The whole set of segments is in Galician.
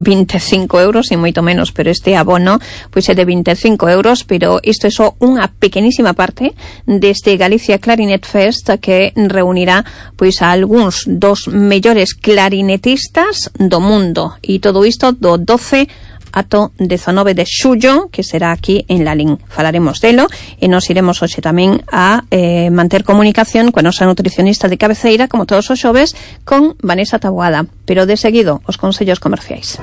25 euros, e moito menos, pero este abono pois é de 25 euros, pero isto é só unha pequenísima parte deste Galicia Clarinet Fest que reunirá pois a algúns dos mellores clarinetistas do mundo, e todo isto do 12 ato 19 de xullo, que será aquí en Lalín. Falaremos delo e nos iremos hoxe tamén a manter comunicación coa nosa nutricionista de cabeceira, como todos os xoves, con Vanessa Taboada. Pero de seguido, os consellos comerciais.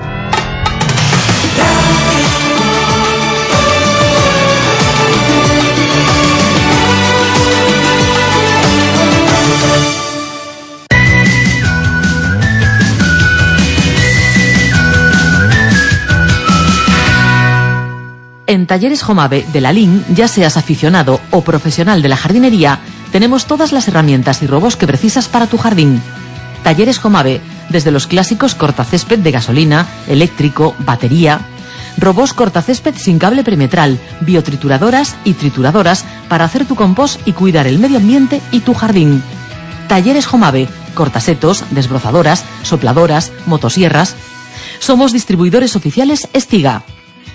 En Talleres Jomave de Lalín, ya seas aficionado o profesional de la jardinería, tenemos todas las herramientas y robos que precisas para tu jardín. Talleres Jomave, desde los clásicos cortacésped de gasolina, eléctrico, batería, robos cortacésped sin cable perimetral, biotrituradoras y trituradoras para hacer tu compost y cuidar el medio ambiente y tu jardín. Talleres Jomave, cortasetos, desbrozadoras, sopladoras, motosierras. Somos distribuidores oficiales Estiga.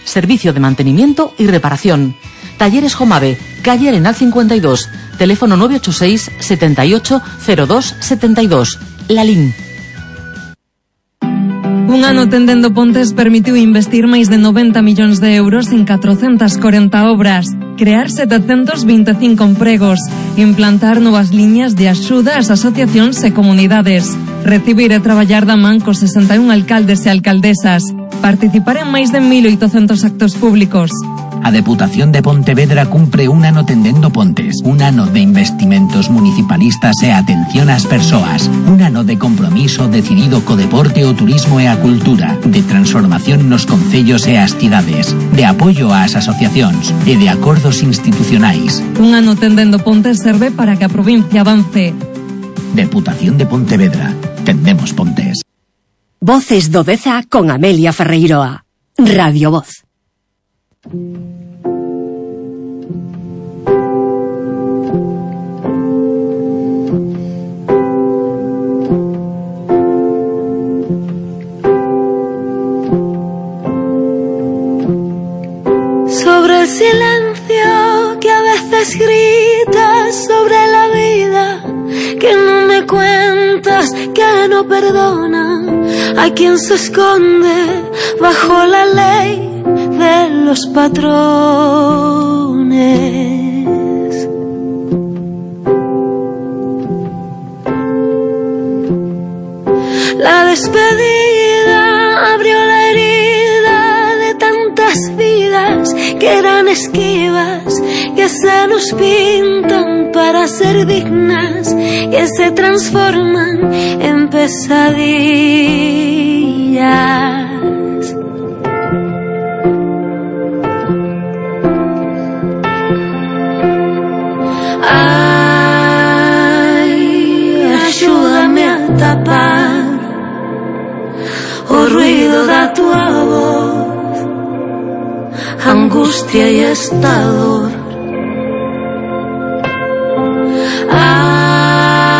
Servicio de mantenimiento y reparación. Talleres Jomave, calle Arenal 52, teléfono 986 78 02 72, Lalín. Un ano tendendo Pontes permitiu investir máis de 90 millóns de euros en 440 obras, crear 725 empregos, implantar novas liñas de axuda ás asociacións e comunidades, recibir e traballar da man cos 61 alcaldes e alcaldesas, participar en máis de 1.800 actos públicos. A Deputación de Pontevedra cumpre un ano tendendo Pontes, un ano de investimentos municipalistas e atención ás persoas, un ano de compromiso decidido co deporte, o turismo e a cultura, de transformación nos concellos e as cidades, de apoio ás asociacións e de acordos institucionais. Un ano tendendo Pontes serve para que a provincia avance. Deputación de Pontevedra. Tendemos Pontes. Voces do Deza con Amelia Ferreiroa. Radio Voz. Sobre el silencio que a veces gritas, sobre la vida que no me cuentas, que no perdona a quien se esconde bajo la ley de los patrones. La despedida abrió la herida de tantas vidas que eran esquivas, que se nos pintan para ser dignas, que se transforman en pesadillas. Ay, ayúdame a tapar o ruido da tua voz, angustia y estador. Ay,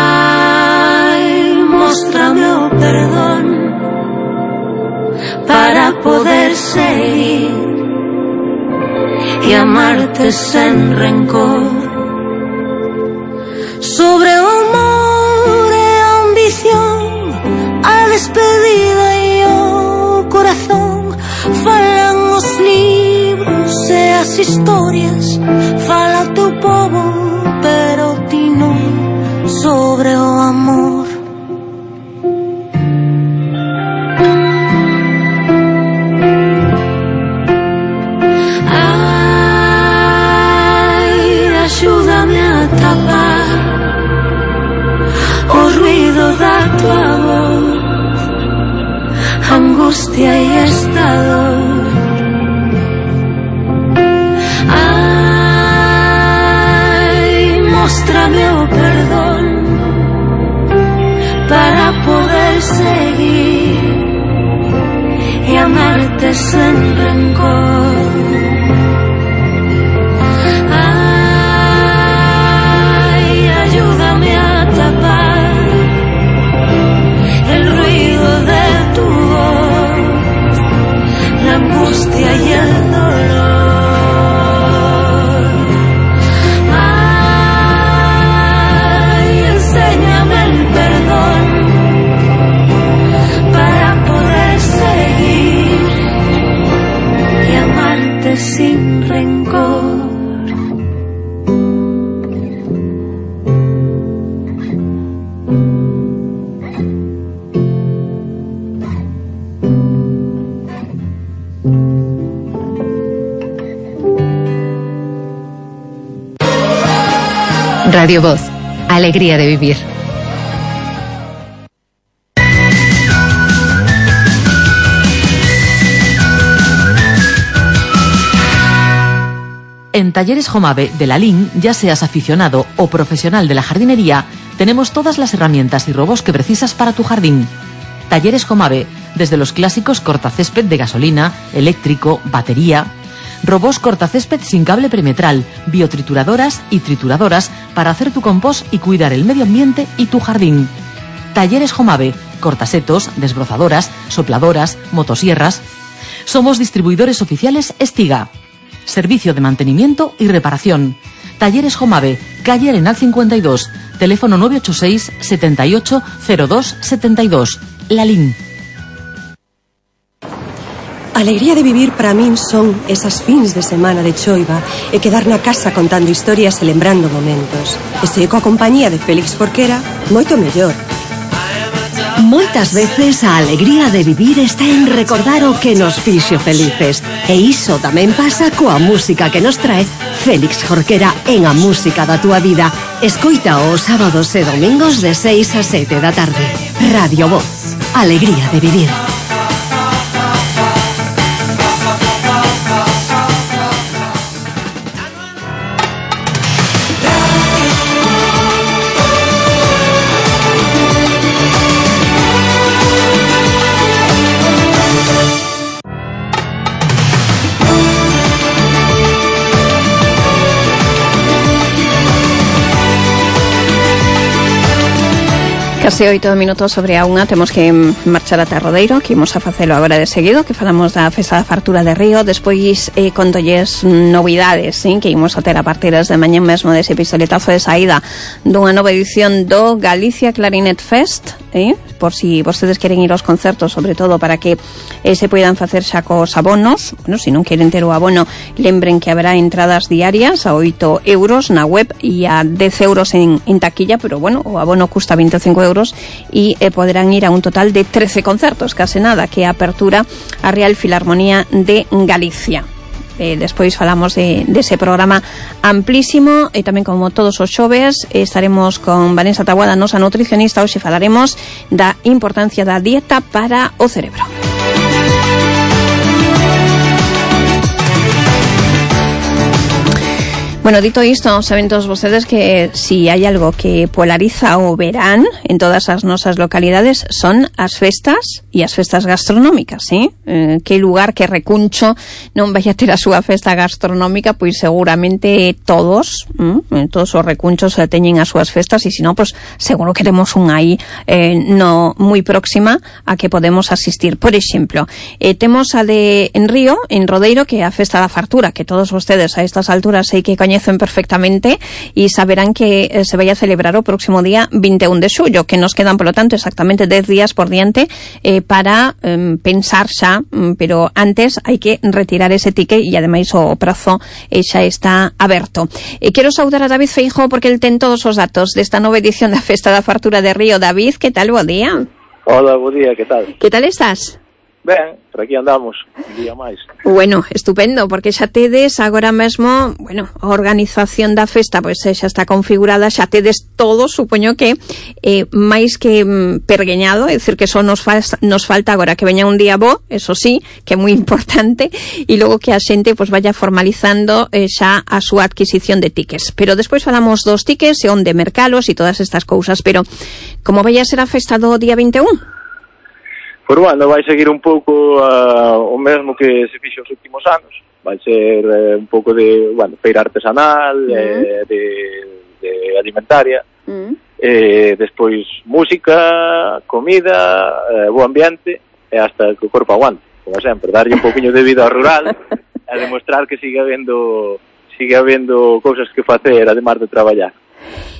móstrame o perdón para poder seguir y amarte sin rencor. Sobre o amor e a ambición, a despedida e o corazón, falan os libros e as historias, fala o teu povo, pero ti non. Sobre o amor. Ay, ayúdame a tapar o ruido da tua voz, angustia y estador. Ay, móstrame o perdón para poder seguir y amarte sin rencor. Ay, ayúdame a tapar el ruido de tu voz, Radio Voz, alegría de vivir. En Talleres Jomave de la LIN, ya seas aficionado o profesional de la jardinería, tenemos todas las herramientas y robots que precisas para tu jardín. Talleres Jomave, desde los clásicos cortacésped de gasolina, eléctrico, batería, robots cortacésped sin cable perimetral, biotrituradoras y trituradoras para hacer tu compost y cuidar el medio ambiente y tu jardín. Talleres Jomave, cortasetos, desbrozadoras, sopladoras, motosierras. Somos distribuidores oficiales Estiga. Servicio de mantenimiento y reparación. Talleres Jomave, calle Arenal 52, teléfono 986 78 02 72. La LIN. Alegría de vivir para min son esas fins de semana de choiva e quedar na casa contando historias e lembrando momentos. E se coa compañía de Félix Jorquera, moito mellor. Moitas veces a alegría de vivir está en recordar o que nos fixo felices. E iso tamén pasa coa música que nos trae Félix Jorquera en A Música da Túa Vida. Escoita os sábados e domingos de 6 a 7 da tarde. Radio Voz, alegría de vivir. Case 8 minutos sobre a unha, temos que marchar ata Rodeiro, que imos a facelo agora de seguido, que falamos da Festa da Fartura de Río, despois contolles novidades, que imos a ter a partir de mañá mesmo dese pistoletazo de saída dunha nova edición do Galicia Clarinet Fest, por si vostedes queren ir aos concertos, sobre todo para que se poidan facer xa cos abonos. Bueno, se non queren ter o abono, lembren que haberá entradas diarias a 8 euros na web e a 10 euros en taquilla, pero bueno, o abono custa 25 euros y podrán ir a un total de 13 concertos, case nada, que apertura a Real Filarmonía de Galicia. Despois falamos dese programa amplísimo e tamén, como todos os xoves, estaremos con Vanessa Taboada, nosa nutricionista. Hoxe falaremos da importancia da dieta para o cerebro. Bueno, dito isto, saben todos vostedes que si hai algo que polariza o verán en todas as nosas localidades son as festas e as festas gastronómicas, ¿sí? Que lugar, que recuncho non vai a ter a súa festa gastronómica, pois seguramente todos os recunchos teñen as súas festas, e se non, pois seguro que temos unha aí no moi próxima a que podemos asistir. Por exemplo, temos a de en Río, en Rodeiro, que é a Festa da Fartura, que todos vostedes a estas alturas sei que coñecen perfectamente e saberán que se vai a celebrar o próximo día 21 de xullo, que nos quedan, polo tanto, exactamente 10 días por diante para pensar xa, pero antes hai que retirar ese ticket e ademais o prazo xa está aberto. Quero saudar a David Feijóo porque el ten todos os datos desta nova edición da Festa da Fartura de Río. David, que tal? Bo día. Hola, bo día, que tal? Que tal estás? Ben, por aquí andamos, un día máis. Bueno, estupendo, porque xa tedes agora mesmo, bueno, a organización da festa pois xa está configurada, xa tedes todo, supoño que máis que pergueñado, é dicir que só nos falta agora que veña un día bo, eso sí, que é moi importante, e logo que a xente pois vaya formalizando xa a súa adquisición de tickets. Pero despois falamos dos tickets e onde mercalos e todas estas cousas, pero como vai a ser a festa do día 21? Pois bueno, vai seguir un pouco o mesmo que se fixo os últimos anos. Vai ser un pouco de, bueno, feira artesanal, de alimentaria, despois música, comida, bo ambiente, e hasta que o corpo aguante, como sempre, darlle un pouquinho de vida ao rural, e demostrar que sigue habendo cousas que facer, además de traballar.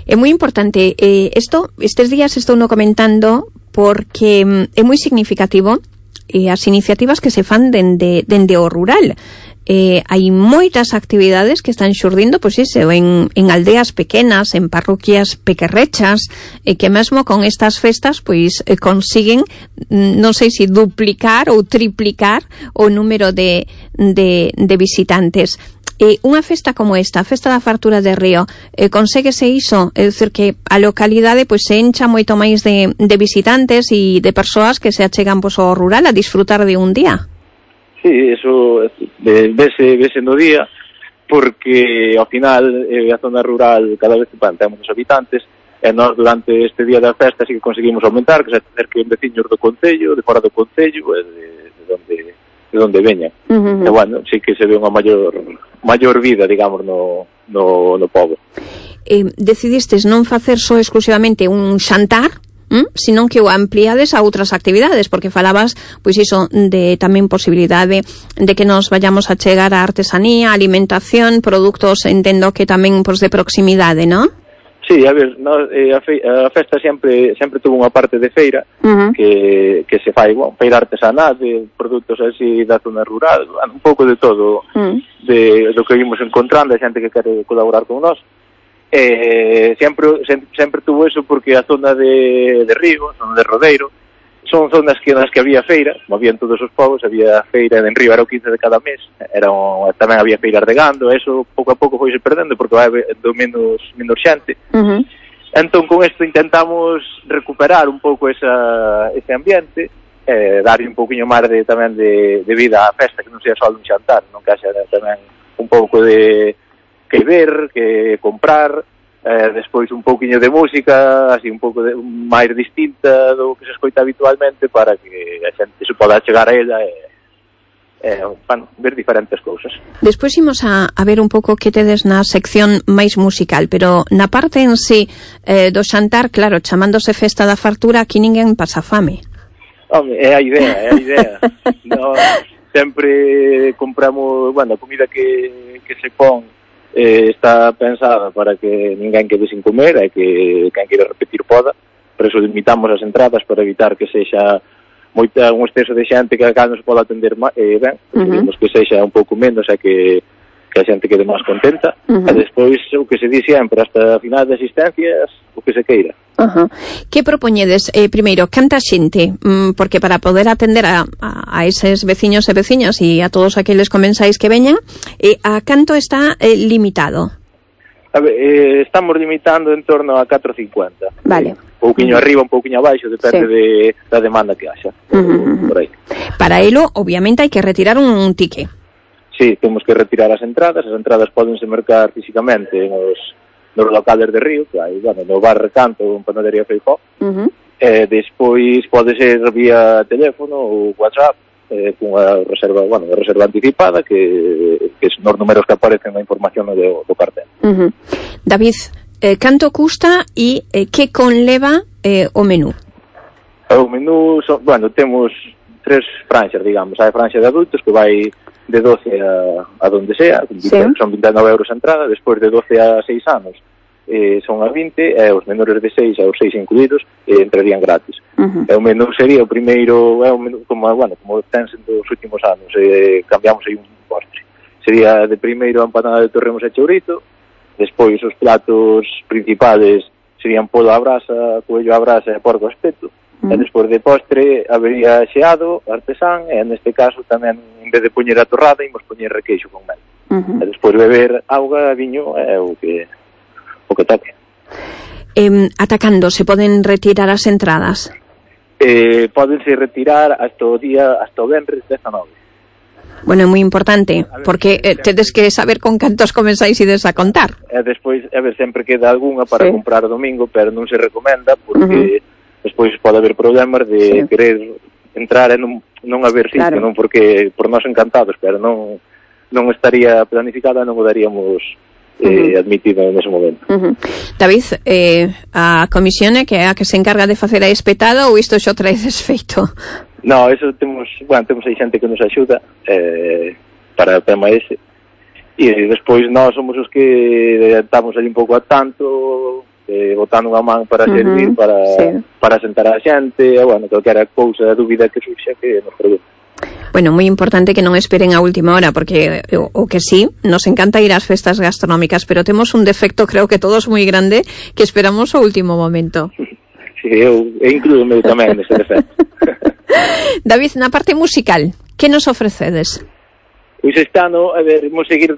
É moi importante estes días estou no comentando porque é moi significativo as iniciativas que se fan dende o rural. Hai moitas actividades que están xurdindo, pois iso, en aldeas pequenas, en parroquias pequerrechas, que mesmo con estas festas pois consiguen, non sei se duplicar ou triplicar o número de visitantes. unha festa como esta, a Festa da Fartura de Río, conséguese iso, é dicir que a localidade pois se encha moito máis de visitantes e de persoas que se achegan pois ao rural a disfrutar de un día. Sí, eso vese no día, porque ao final a zona rural cada vez ten menos habitantes, e nós durante este día da festa sí que conseguimos aumentar, que se acerquen veciños do concello, de fora do concello, de onde veñan. E bueno, sí que se ve unha maior vida, digamos, no pobo. Decidistes non facer só exclusivamente un xantar, senón que o ampliades a outras actividades, porque falabas, pois iso, de tamén posibilidade de que nos vayamos a chegar a artesanía, alimentación, produtos, entendo que tamén pois de proximidade, non? Sí, a ver, a festa sempre tuvo unha parte de feira que se fai, feira artesanal de produtos así da zona rural, un pouco de todo do que vimos encontrando, a xente que quere colaborar con nós. Sempre tuvo eso porque a zona de Río, a zona de Rodeiro, son zonas nas que había feira, como había en todos os povos, había feira en Río, era o 15 de cada mes, tamén había feiras de gando, eso pouco a pouco foise perdendo porque vai do menos xente. Entón con isto intentamos recuperar un pouco ese ambiente, darlle un pouquiño máis tamén de vida á festa, que non sea só un xantar, non que haxa tamén un pouco de que ver, que comprar, despois un pouquiño de música, así un pouco máis distinta do que se escoita habitualmente para que a xente se poda chegar a ella e ver diferentes cousas. Despois imos a ver un pouco que tedes na sección máis musical, pero na parte en sí do xantar, claro, chamándose Festa da Fartura, aquí ninguén pasa fame. Home, é a idea. No, sempre compramos, a comida que se pon está pensada para que ninguén quede sin comer e que quen queira repetir poda, por eso limitamos as entradas para evitar que sexa un exceso de xente que acá non se poda atender ben, queremos que sexa un pouco menos e que a xente quede máis contenta, e despois o que se di sempre, hasta a final de asistencias, o que se queira. Que propoñedes? Primeiro, canta xente? Porque para poder atender a eses veciños e veciñas e a todos aqueles comensáis que veñan, a canto está limitado? A ver, estamos limitando en torno a 4,50. Vale. Un pouquiño arriba, un pouquiño abaixo, depende da demanda que haxa. Por aí. Para elo, obviamente, hai que retirar un ticket. Sí, temos que retirar as entradas pódense mercar físicamente nos locales de Río, que hai, no bar Recanto ou en Panadería Feijó, despois pode ser vía teléfono ou WhatsApp, cunha reserva anticipada, que son os números que aparecen na información do cartel. David, canto custa e que conleva o menú? O menú, temos 3 franxas, digamos. Hai a franxa de adultos que vai de 12 a donde sea, son 29 euros a entrada, despois de 12 a 6 anos son a 20, e os menores de 6 aos 6 incluídos entrarían gratis. O menú sería o primeiro, como ten sendo os últimos anos, cambiamos aí un postre. Sería de primeiro a empanada de torremos e chourizo, despois os platos principales serían polo a brasa, coello a brasa e porco a espeto. E despois de postre habería xeado, artesán, e neste caso tamén, en vez de poñer a torrada, imos poñer requeixo con mel. E despois beber auga, viño, é o que toque. Ata cando se poden retirar as entradas? Pódense retirar hasta o venres 19. Bueno, é moi importante, porque tedes que saber con cantos comenzáis ides a contar. E despois, sempre queda algunha para comprar o domingo, pero non se recomenda, porque despois pode haber problemas de querer entrar e non haber sitio, non porque por nós encantados, pero non estaría planificada, non o daríamos admitido nese momento. David, a comisión é que é a que se encarga de facer a espetada ou isto xa traedes feito? No, eso temos aí xente que nos axuda para o tema ese, e despois nós somos os que estamos ali un pouco a tanto, botando unha man para servir, para sentar a xente, calquera cousa, dúbida que surxa que nos pregunte. Bueno, moi importante que non esperen a última hora, porque o que sí, nos encanta ir ás festas gastronómicas, pero temos un defecto, creo que todos moi grande, que esperamos o último momento. Sí, eu incluo-me tamén nese defecto. David, na parte musical, que nos ofrecedes? Pois este ano, vamos seguir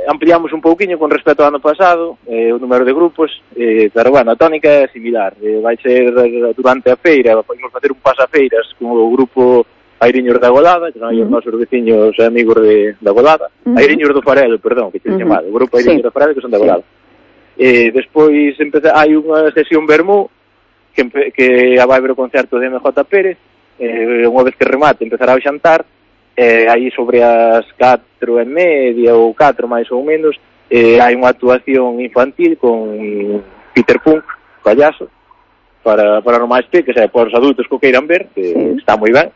ampliamos un pouquiño con respecto ao ano pasado, o número de grupos, pero bueno, a tónica é similar. Vai ser durante a feira, podemos facer un pasafeiras con o grupo Airiños da Golada, que son os nosos veciños e amigos da Golada. Airiños do Farelo, perdón, que te chamado, o grupo Airiños do Farelo, que son da Golada. Despois hai unha sesión vermú que vai ver o concerto de MJ Pérez, unha vez que remate empezará o xantar, aí sobre as 4:30 ou 4 máis ou menos, hai unha actuación infantil con Peter Punk, payaso, para o máis peques, para os adultos que o queiran ver, que está moi ben.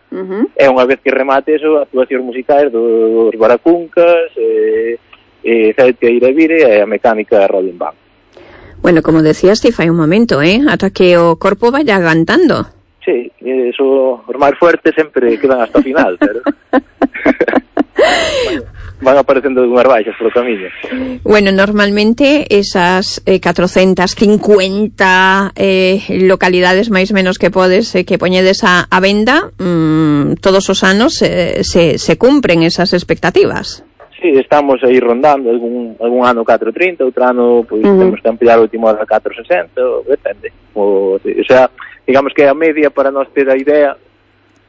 E unha vez que remate eso, actuacións musicais dos Baracuncas, Celtia Iravire e a mecánica Rolling Band. Bueno, como decías ti fai un momento, ata que o corpo vaya aguantando. Sí, eso, os máis fuertes sempre quedan hasta o final, pero van aparecendo unhas baixas polo camiño. Bueno, normalmente esas 450 localidades máis menos que podes que poñedes a venda, todos os anos se cumpren esas expectativas. Sí, estamos aí rondando algún ano 4.30, outro ano pois temos que ampliar o último a 4.60, depende. O sea, digamos que é a media para nós ter a idea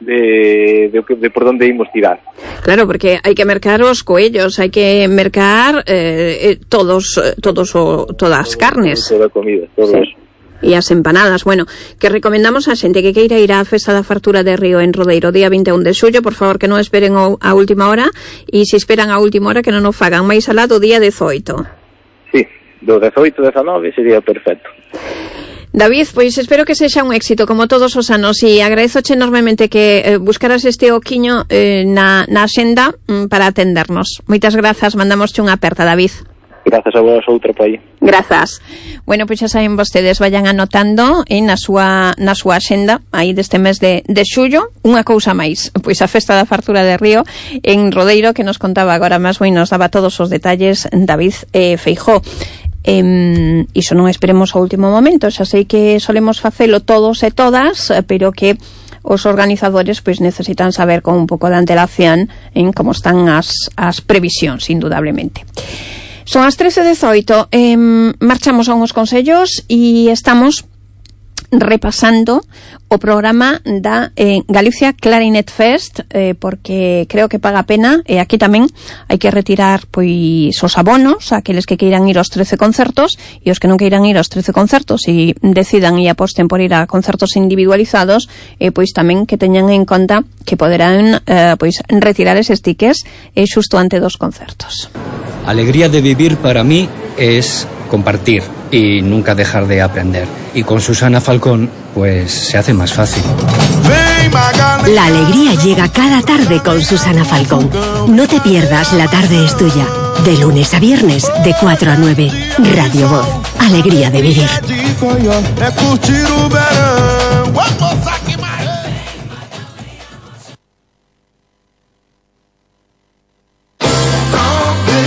de por onde imos tirar. Claro, porque hai que mercar os coellos, hai que mercar todas as carnes. Toda a comida, todo eso. E as empanadas. Bueno, que recomendamos a xente que queira ir á Festa da Fartura de Río en Rodeiro día 21 de xullo, por favor que non esperen a última hora, e se esperan a última hora que non o fagan máis alá do día 18. Sí, do 18-19 sería perfecto. David, pois espero que sexa un éxito como todos os anos, e agradezoche enormemente que buscaras este oquiño na axenda para atendernos. Moitas grazas, mandamosche unha aperta, David. Grazas a vos, outro país. Grazas. Bueno, pois xa saben vostedes, vayan anotando na súa axenda aí deste mes de xullo. Unha cousa máis, pois a Festa da Fartura de Río en Rodeiro, que nos contaba agora máis moi, nos daba todos os detalles David Feijó. Iso non esperemos ao último momento, xa sei que solemos facelo todos e todas, pero que os organizadores pois necesitan saber con un pouco de antelación en como están as previsións, indudablemente. Son as 13:18, marchamos a uns consellos e estamos repasando o programa da Galicia Clarinet Fest, porque creo que paga a pena, e aquí tamén hai que retirar pois os abonos a aqueles que queiran ir aos 13 concertos, e os que non queiran ir aos 13 concertos e decidan e aposten por ir a concertos individualizados, pois tamén que teñan en conta que poderán pois retirar eses tickets xusto ante dos concertos. Alegría de vivir para mí es compartir y nunca dejar de aprender. Y con Susana Falcón, pues se hace más fácil. La alegría llega cada tarde con Susana Falcón. No te pierdas La Tarde es Tuya. De lunes a viernes, de 4 a 9. Radio Voz. Alegría de vivir.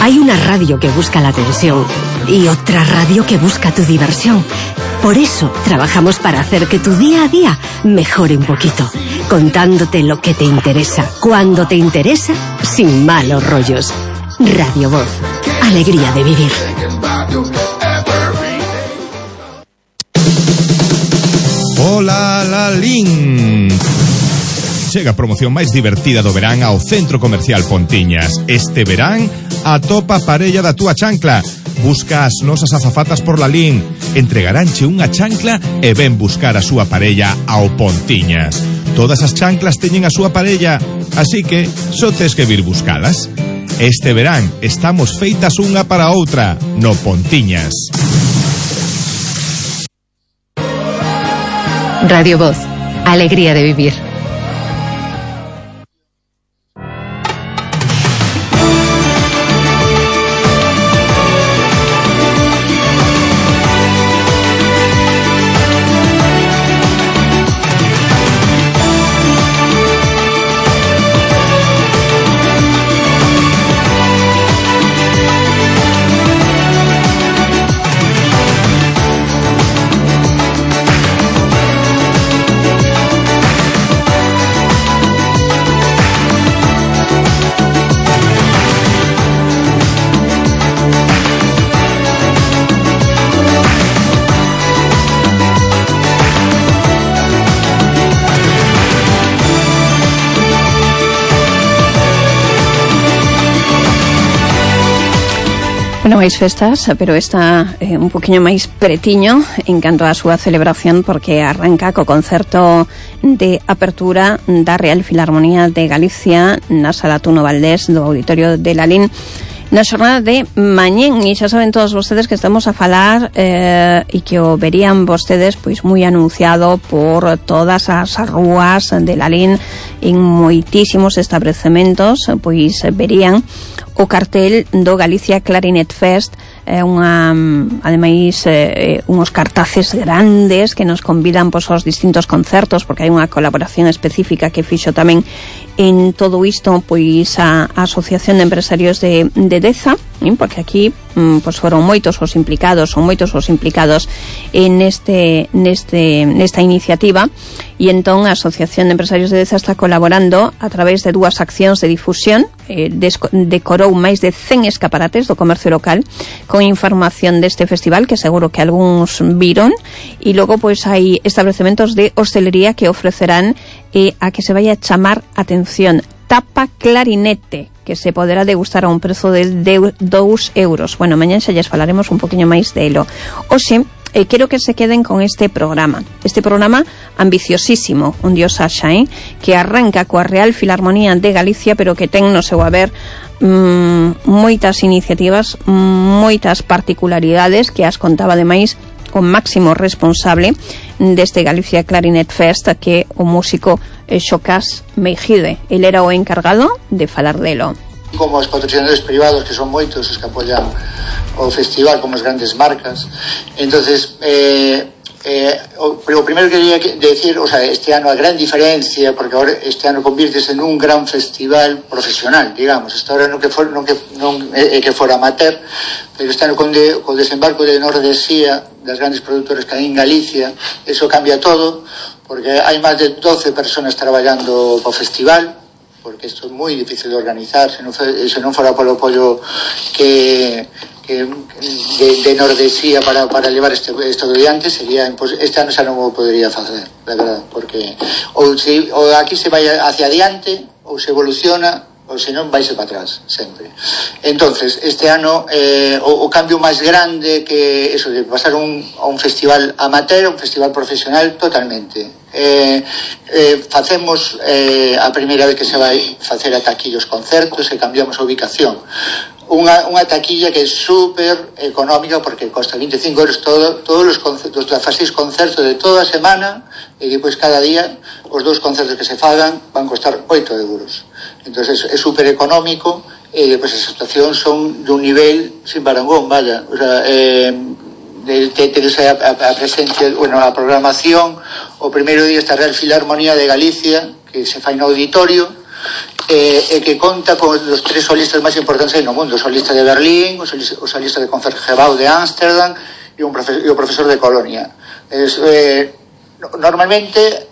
Hay una radio que busca la atención y otra radio que busca tu diversión. Por eso trabajamos para hacer que tu día a día mejore un poquito, contándote lo que te interesa, cuando te interesa, sin malos rollos. Radio Voz. Alegría de vivir. Hola, Lalín. Chega a promoción máis divertida do verán ao Centro Comercial Pontiñas. Este verán, atopa a parella da túa chancla. Busca as nosas azafatas por Lalín. Entregaránche unha chancla e ven buscar a súa parella ao Pontiñas. Todas as chanclas teñen a súa parella, así que só tes que vir buscalas. Este verán estamos feitas unha para outra no Pontiñas. Radio Voz. Alegría de vivir. Bueno, máis festas, pero está un poquinho máis pretiño en canto á súa celebración, porque arranca co concerto de apertura da Real Filarmonía de Galicia na Sala Tuno Valdés do Auditorio de Lalín na xornada de mañén. E xa saben todos vostedes que estamos a falar e que o verían vostedes pois moi anunciado por todas as rúas de Lalín, en moitísimos establecementos, pois verían o cartel do Galicia Clarinet Fest, ademais unhos cartaces grandes que nos convidan pois aos distintos concertos, porque hai unha colaboración específica que fixo tamén en todo isto pois a Asociación de Empresarios de Deza, porque aquí pois foron moitos os implicados en nesta iniciativa, e entón a Asociación de Empresarios de Deza está colaborando a través de dúas accións de difusión. Decorou máis de 100 escaparates do comercio local con información deste festival, que seguro que algúns viron, e logo pois hai establecementos de hostelería que ofrecerán a que se vaya a chamar atención tapa clarinete, que se poderá degustar a un prezo de 2 euros. Bueno, mañán xa lles falaremos un poquinho máis delo. Oxe, quero que se queden con este programa ambiciosísimo, un dios Sasha, que arranca coa Real Filarmonía de Galicia, pero que ten no seu haber moitas iniciativas, moitas particularidades que as contaba ademais o máximo responsable deste Galicia Clarinet Fest, que o músico Xocas Meijide. El era o encargado de falar delo. Como os patrocinadores privados, que son moitos os que apoian o festival, como as grandes marcas. Entonces, o primeiro que quería decir, o sea, este ano a gran diferencia, porque agora este ano convírtese en un gran festival profesional, digamos. Esta hora non que fora amateur, pero este ano con desembarco de Nordesía, das grandes produtoras que hai en Galicia, eso cambia todo, porque hai máis de 12 personas traballando para o festival, porque isto é moi difícil de organizar, se non fora polo apoio de Nordesía para levar isto adiante, sería este ano xa non o podería facer, la verdad, porque ou aquí se vai hacia adiante ou se evoluciona, ou senón vaise para atrás sempre. Entonces, este ano o cambio máis grande que eso de pasar a un festival amateur, un festival profesional totalmente. Facemos a primeira vez que se vai facer ata aquí os concertos e cambiamos a ubicación. Unha taquilla que é super económica, porque costa 25 euros todos os concertos, os 6 concertos de toda a semana, e depois cada día os 2 concertos que se fagan van costar 8 euros. Entonces é super económico, e depois as actuacións son dun nivel sin parangón, vaya, o sea, a presencia, bueno, a programación. O primeiro día está a Real Filarmonía de Galicia, que se fai no auditorio, e que conta con os 3 solistas máis importantes no mundo: o solista de Berlín, o solista de Concertgebouw de Ámsterdam e o profesor de Colonia. Normalmente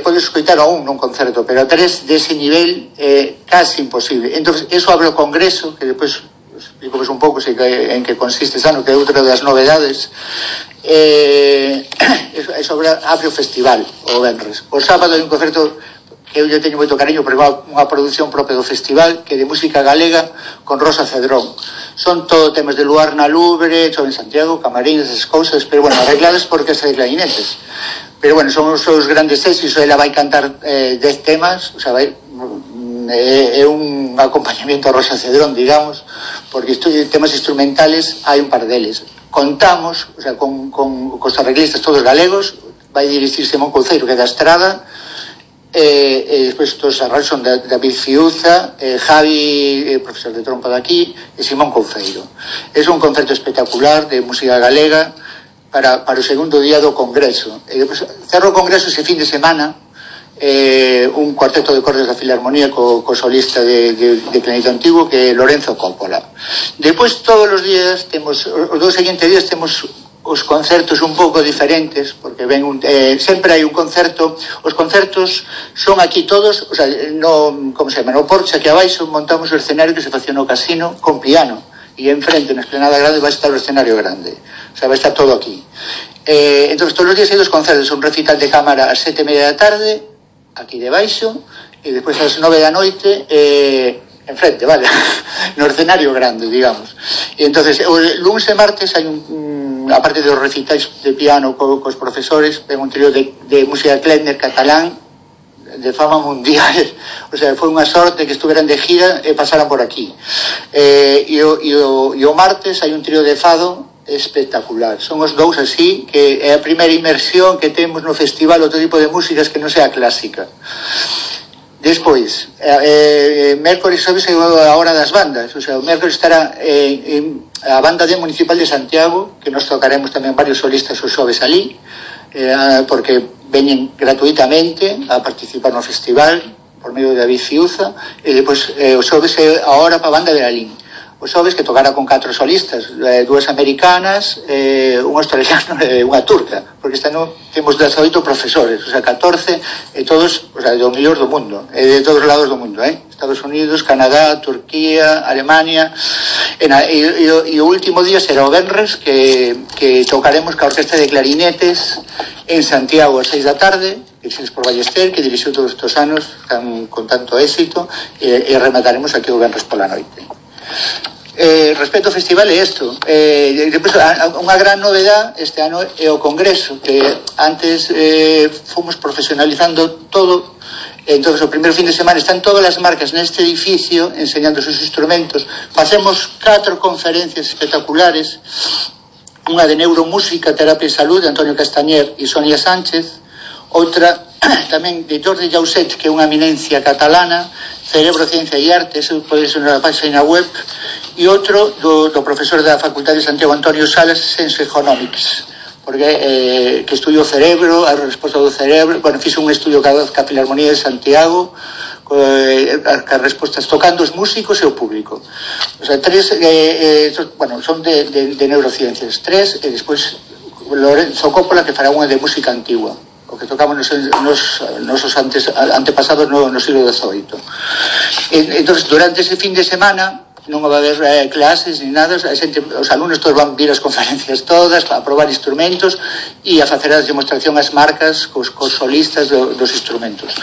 podes escoitar a un nun concerto, pero a 3 dese nivel é casi imposible. Entón, eso abre o congreso, que depois explico un pouco en que consiste ese ano, que é outra das novedades. Eso abre o festival o venres. O sábado hai un concerto que eu teño moito cariño, porque é unha produción propia do festival, que é de música galega con Rosa Cedrón. Son todo temas de Luar na Lubre, Chove en Santiago, Camarines, esas cousas, pero bueno, arregladas por orquesta de clarinetes. Pero bueno, son os seus grandes éxitos. Ela vai cantar 10 temas, o sea, é un acompañamiento a Rosa Cedrón, digamos, porque temas instrumentales hai un par deles. Contamos, o sea, con os arreglistas todos galegos, vai dirixir Simón Couceiro, que é da Estrada, e despois todos os arranxos son David Fiuza, Javi, profesor de trompa daqui, e Simón Couceiro. É un concerto espectacular de música galega para o segundo día do congreso. E depois cerro o congreso ese fin de semana, un cuarteto de cordas da Filarmonía co solista de clarinete antigo, que é Lorenzo Coppola. Depois todos os días temos, os 2 seguintes días temos os concertos un pouco diferentes, porque sempre hai un concerto. Os concertos son aquí todos, o sea, no Porche, aquí abaixo montamos o escenario que se facía no casino con piano, e enfrente, na esplanada grande, vai estar o escenario grande, o sea, vai estar todo aquí. Entón, todos os días hai 2 concertos, un recital de cámara ás 7:30 da tarde, aquí debaixo, e despois ás 9 da noite enfrente, vale, no escenario grande, digamos. E entonces, o lunes e martes hai aparte dos recitais de piano cos profesores, ten un trío de música Klezmer catalán de fama mundial. O sea, foi unha sorte que estuveran de gira e pasaran por aquí. E o martes hai un trío de fado espectacular. Son os dous así, que é a primeira inmersión que temos no festival, outro tipo de músicas que non sea clásica. Despois, mércoles xoves é a hora das bandas. O sea, o mércoles estará a banda municipal de Santiago, que nos tocaremos tamén varios solistas os xoves ali, porque veñen gratuitamente a participar no festival por medio de David Fiuza. E depois os xoves é a hora para a banda de Lalín. Os xoves que tocará con 4 solistas, 2 americanas, un australiano e unha turca, porque este ano temos 18 profesores, o sea, 14, e todos, o sea, do mellor do mundo, de todos os lados do mundo, Estados Unidos, Canadá, Turquía, Alemania, e o último día será o venres, que tocaremos ca Orquesta de Clarinetes en Santiago a 6 da tarde, dirixidos por Ballester, que dirixiu todos estes anos con tanto éxito, e remataremos aquí o venres pola noite. Respecto ao festival é isto. Depois, unha gran novedad este ano é o congreso, que antes fomos profesionalizando todo. Entonces, o primeiro fin de semana están todas as marcas neste edificio enseñando os seus instrumentos. Facemos 4 conferencias espectaculares, unha de neuromúsica, terapia e salud, de Antonio Castañer e Sonia Sánchez, outra tamén de Jordi Jauset, que é unha eminencia catalana, Cerebro, Ciencia e Arte, eso pode ser na página web, e outro do profesor da Facultade de Santiago, Antonio Salas, Sense Economics, porque que estudiou o cerebro, a resposta do cerebro, bueno, fixo un estudio ca Filarmonía de Santiago, as respostas tocando os músicos e o público. O sea, 3, son de neurociencias, 3, e despois Lorenzo Coppola, que fará unha de música antigua, o que tocamos nosos antepasados no siglo XVIII. Entonces, durante ese fin de semana non va a haber clases ni nada, os alumnos todos van vir as conferencias todas a probar instrumentos e a facer a demostración ás marcas cos solistas dos instrumentos.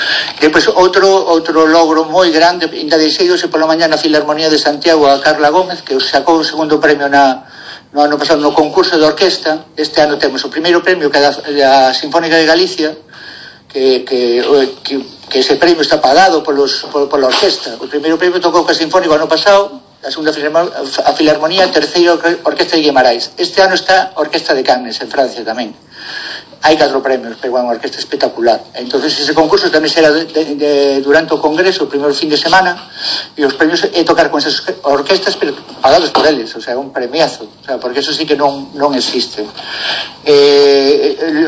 Depois, outro logro moi grande, ainda deixeidose pola mañá na Filarmonía de Santiago a Carla Gómez, que sacou o segundo premio no ano pasado no concurso de orquesta. Este ano temos o primeiro premio, que é a Sinfónica de Galicia, que ese premio está pagado pola orquesta. O primeiro premio tocou co Sinfónico ano pasado, a segunda a Filarmonía, a terceira Orquesta de Guimarães. Este ano está a Orquesta de Cannes, en Francia tamén. Hai 4 premios, pero é unha orquesta espectacular. Entonces ese concurso tamén será durante o congreso, o primeiro fin de semana, e os premios é tocar con esas orquestas, pero pagados por eles, o sea, un premiazo, o sea, porque eso sí que non existe.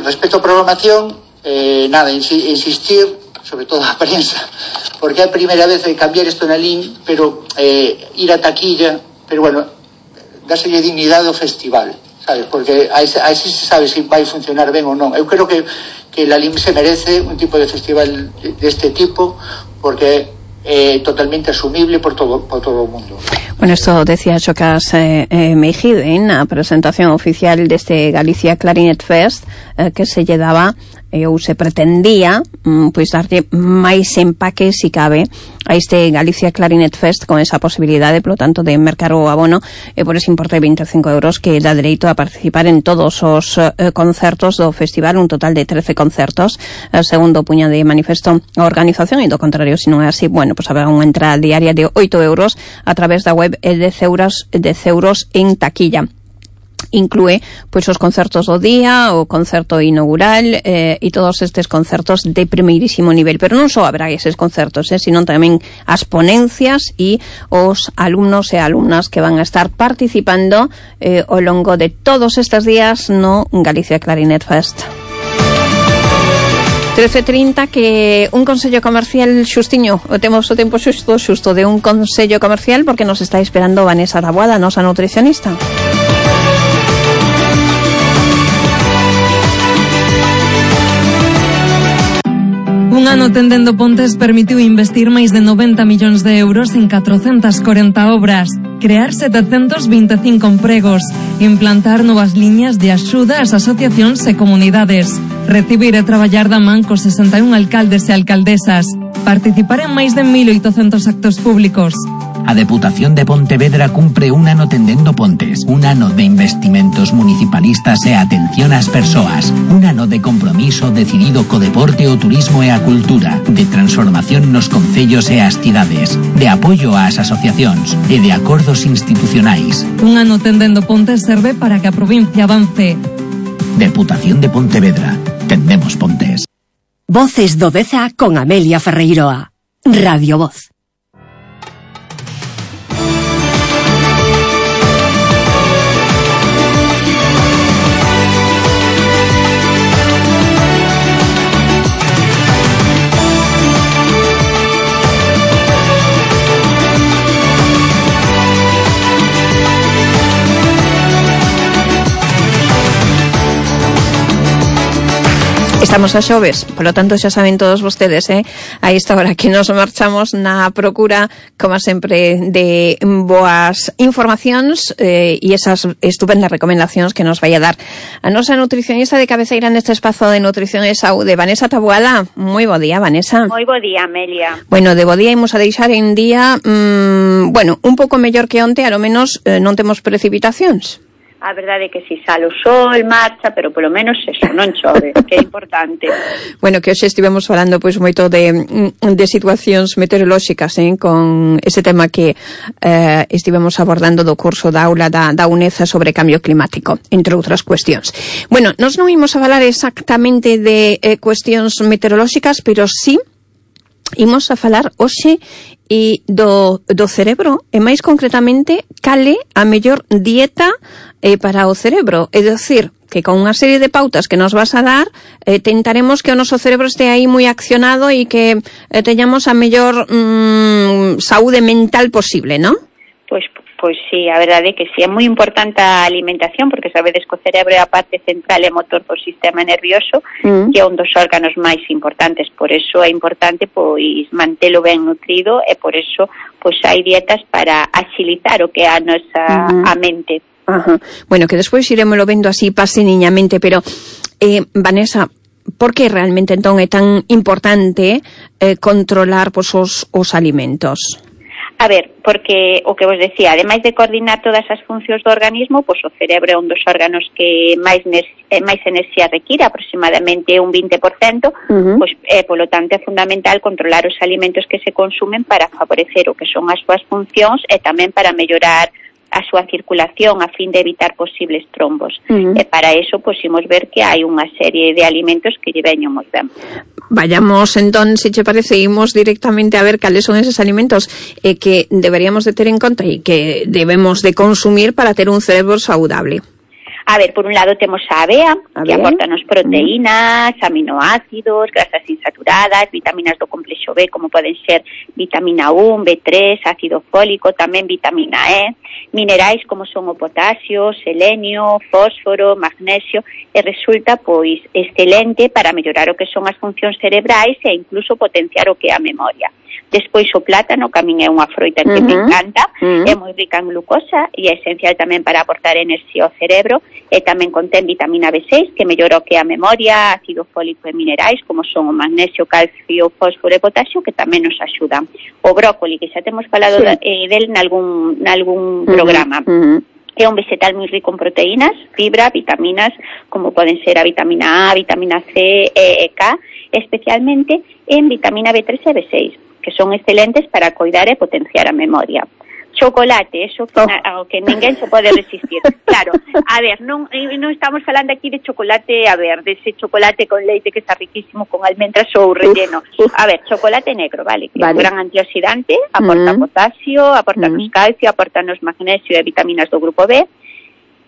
Respecto á programación, nada, insistir, sobre todo a prensa, porque é a primeira vez de cambiar isto na LIN, pero ir a taquilla, pero bueno, dáselle dignidade ao festival, sabes, porque así se sabe se vai funcionar ben ou non. Eu creo que la LIN se merece un tipo de festival deste tipo, porque é totalmente asumible por todo o mundo. Bueno, esto decía Xocas Meijide en a presentación oficial deste Galicia Clarinet Fest, que se lle daba ou se pretendía pois darlle máis empaque, si cabe, a este Galicia Clarinet Fest, con esa posibilidade, polo tanto, de mercar o abono por ese importe de 25 euros que dá dereito a participar en todos os concertos do festival, un total de 13 concertos, segundo puña de manifesto a organización, e do contrario, se non é así, bueno, pues habrá unha entrada diaria de 8 euros a través da web de 10 euros en taquilla. Inclúe pois os concertos do día, o concerto inaugural e todos estes concertos de primeirísimo nivel, pero non só habrá eses concertos, sino tamén as ponencias e os alumnos e alumnas que van a estar participando ao longo de todos estes días no Galicia Clarinet Fest. 13:30, que un consello comercial xustiño, temos o tempo xusto de un consello comercial, porque nos está esperando Vanessa Taboada, nosa nutricionista. Un ano tendendo pontes permitiu investir máis de 90 millóns de euros en 440 obras, crear 725 empregos, implantar novas liñas de axuda ás asociacións e comunidades, recibir e traballar da man cos 61 alcaldes e alcaldesas, participar en máis de 1.800 actos públicos. A Deputación de Pontevedra cumpre un ano tendendo pontes, un ano de investimentos municipalistas e atención ás persoas, un ano de compromiso decidido co deporte, o turismo e a cultura, de transformación nos concellos e as cidades, de apoio ás asociacións e de acordos institucionais. Un ano tendendo pontes serve para que a provincia avance. Deputación de Pontevedra. Tendemos pontes. Voces do Deza con Amelia Ferreiroa. Radio Voz. Estamos a xoves, polo tanto xa saben todos vostedes, a esta hora que nos marchamos na procura, como sempre, de boas informacións e esas estupendas recomendacións que nos vai a dar a nosa nutricionista de cabeceira neste espazo de nutrición e saúde, Vanessa Taboada. Moi bo día, Vanessa. Moi bo día, Amelia. Bueno, de bo día imos a deixar en día, un pouco mellor que onte, a lo menos non temos precipitacións. A verdade é que si sale o sol, marcha, pero polo menos eso, non chove, que é importante. Bueno, que hoxe estivemos falando pois moito de situacións meteorolóxicas, con ese tema que estivemos abordando do curso da aula da UNED sobre cambio climático, entre outras cuestións. Bueno, nós non imos a falar exactamente de cuestións meteorolóxicas, pero sí imos a falar hoxe e do cerebro, e máis concretamente cale a mellor dieta para o cerebro, é dicir, que con unha serie de pautas que nos vas a dar tentaremos que o noso cerebro este aí moi accionado e que teñamos a mellor saúde mental posible, non? Pois sí, a verdade é que sí, é moi importante a alimentación, porque sabedes que o cerebro é a parte central e motor do sistema nervioso, que é un dos órganos máis importantes, por eso é importante pois mantelo ben nutrido, e por eso pois hai dietas para axilizar o que é a nosa a mente. Bueno, que despois iremoslo vendo así paseniñamente, pero Vanessa, por que realmente entón é tan importante controlar pois os alimentos? A ver, porque o que vos decía, ademais de coordinar todas as funcións do organismo, pois o cerebro é un dos órganos que máis enerxía require, aproximadamente un 20%, pois polo tanto é fundamental controlar os alimentos que se consumen para favorecer o que son as súas funcións e tamén para mellorar a súa circulación a fin de evitar posibles trombos. E para eso, pois, imos ver que hai unha serie de alimentos que lle veñen moi ben. Vayamos, entón, se che parece, imos directamente a ver cales son eses alimentos que deberíamos de ter en conta e que debemos de consumir para ter un cerebro saudable. A ver, por un lado temos a avea, que aportanos proteínas, aminoácidos, grasas insaturadas, vitaminas do complexo B, como poden ser vitamina 1, B3, ácido fólico, tamén vitamina E, minerais como son o potasio, selenio, fósforo, magnesio, e resulta, pois, excelente para mellorar o que son as funcións cerebrais e incluso potenciar o que é a memoria. Despois o plátano, que a min é unha froita que me encanta, é moi rica en glucosa e é esencial tamén para aportar enerxía ao cerebro, e tamén contén vitamina B6, que mellora o que é a memoria, ácido fólico e minerais, como son o magnesio, calcio, fósforo e potasio, que tamén nos axudan. O brócoli, que xa temos falado del nalgún programa. É un vegetal moi rico en proteínas, fibra, vitaminas, como poden ser a vitamina A, vitamina C, E e K, especialmente en vitamina B3 e B6, que son excelentes para coidar e potenciar a memoria. Chocolate, eso que ninguén se pode resistir. Claro, a ver, non estamos falando aquí de chocolate, a ver, dese chocolate con leite que está riquísimo con almendras ou relleno. A ver, chocolate negro, vale, que é un gran antioxidante, aporta potasio, aporta calcio, aporta magnesio e vitaminas do grupo B.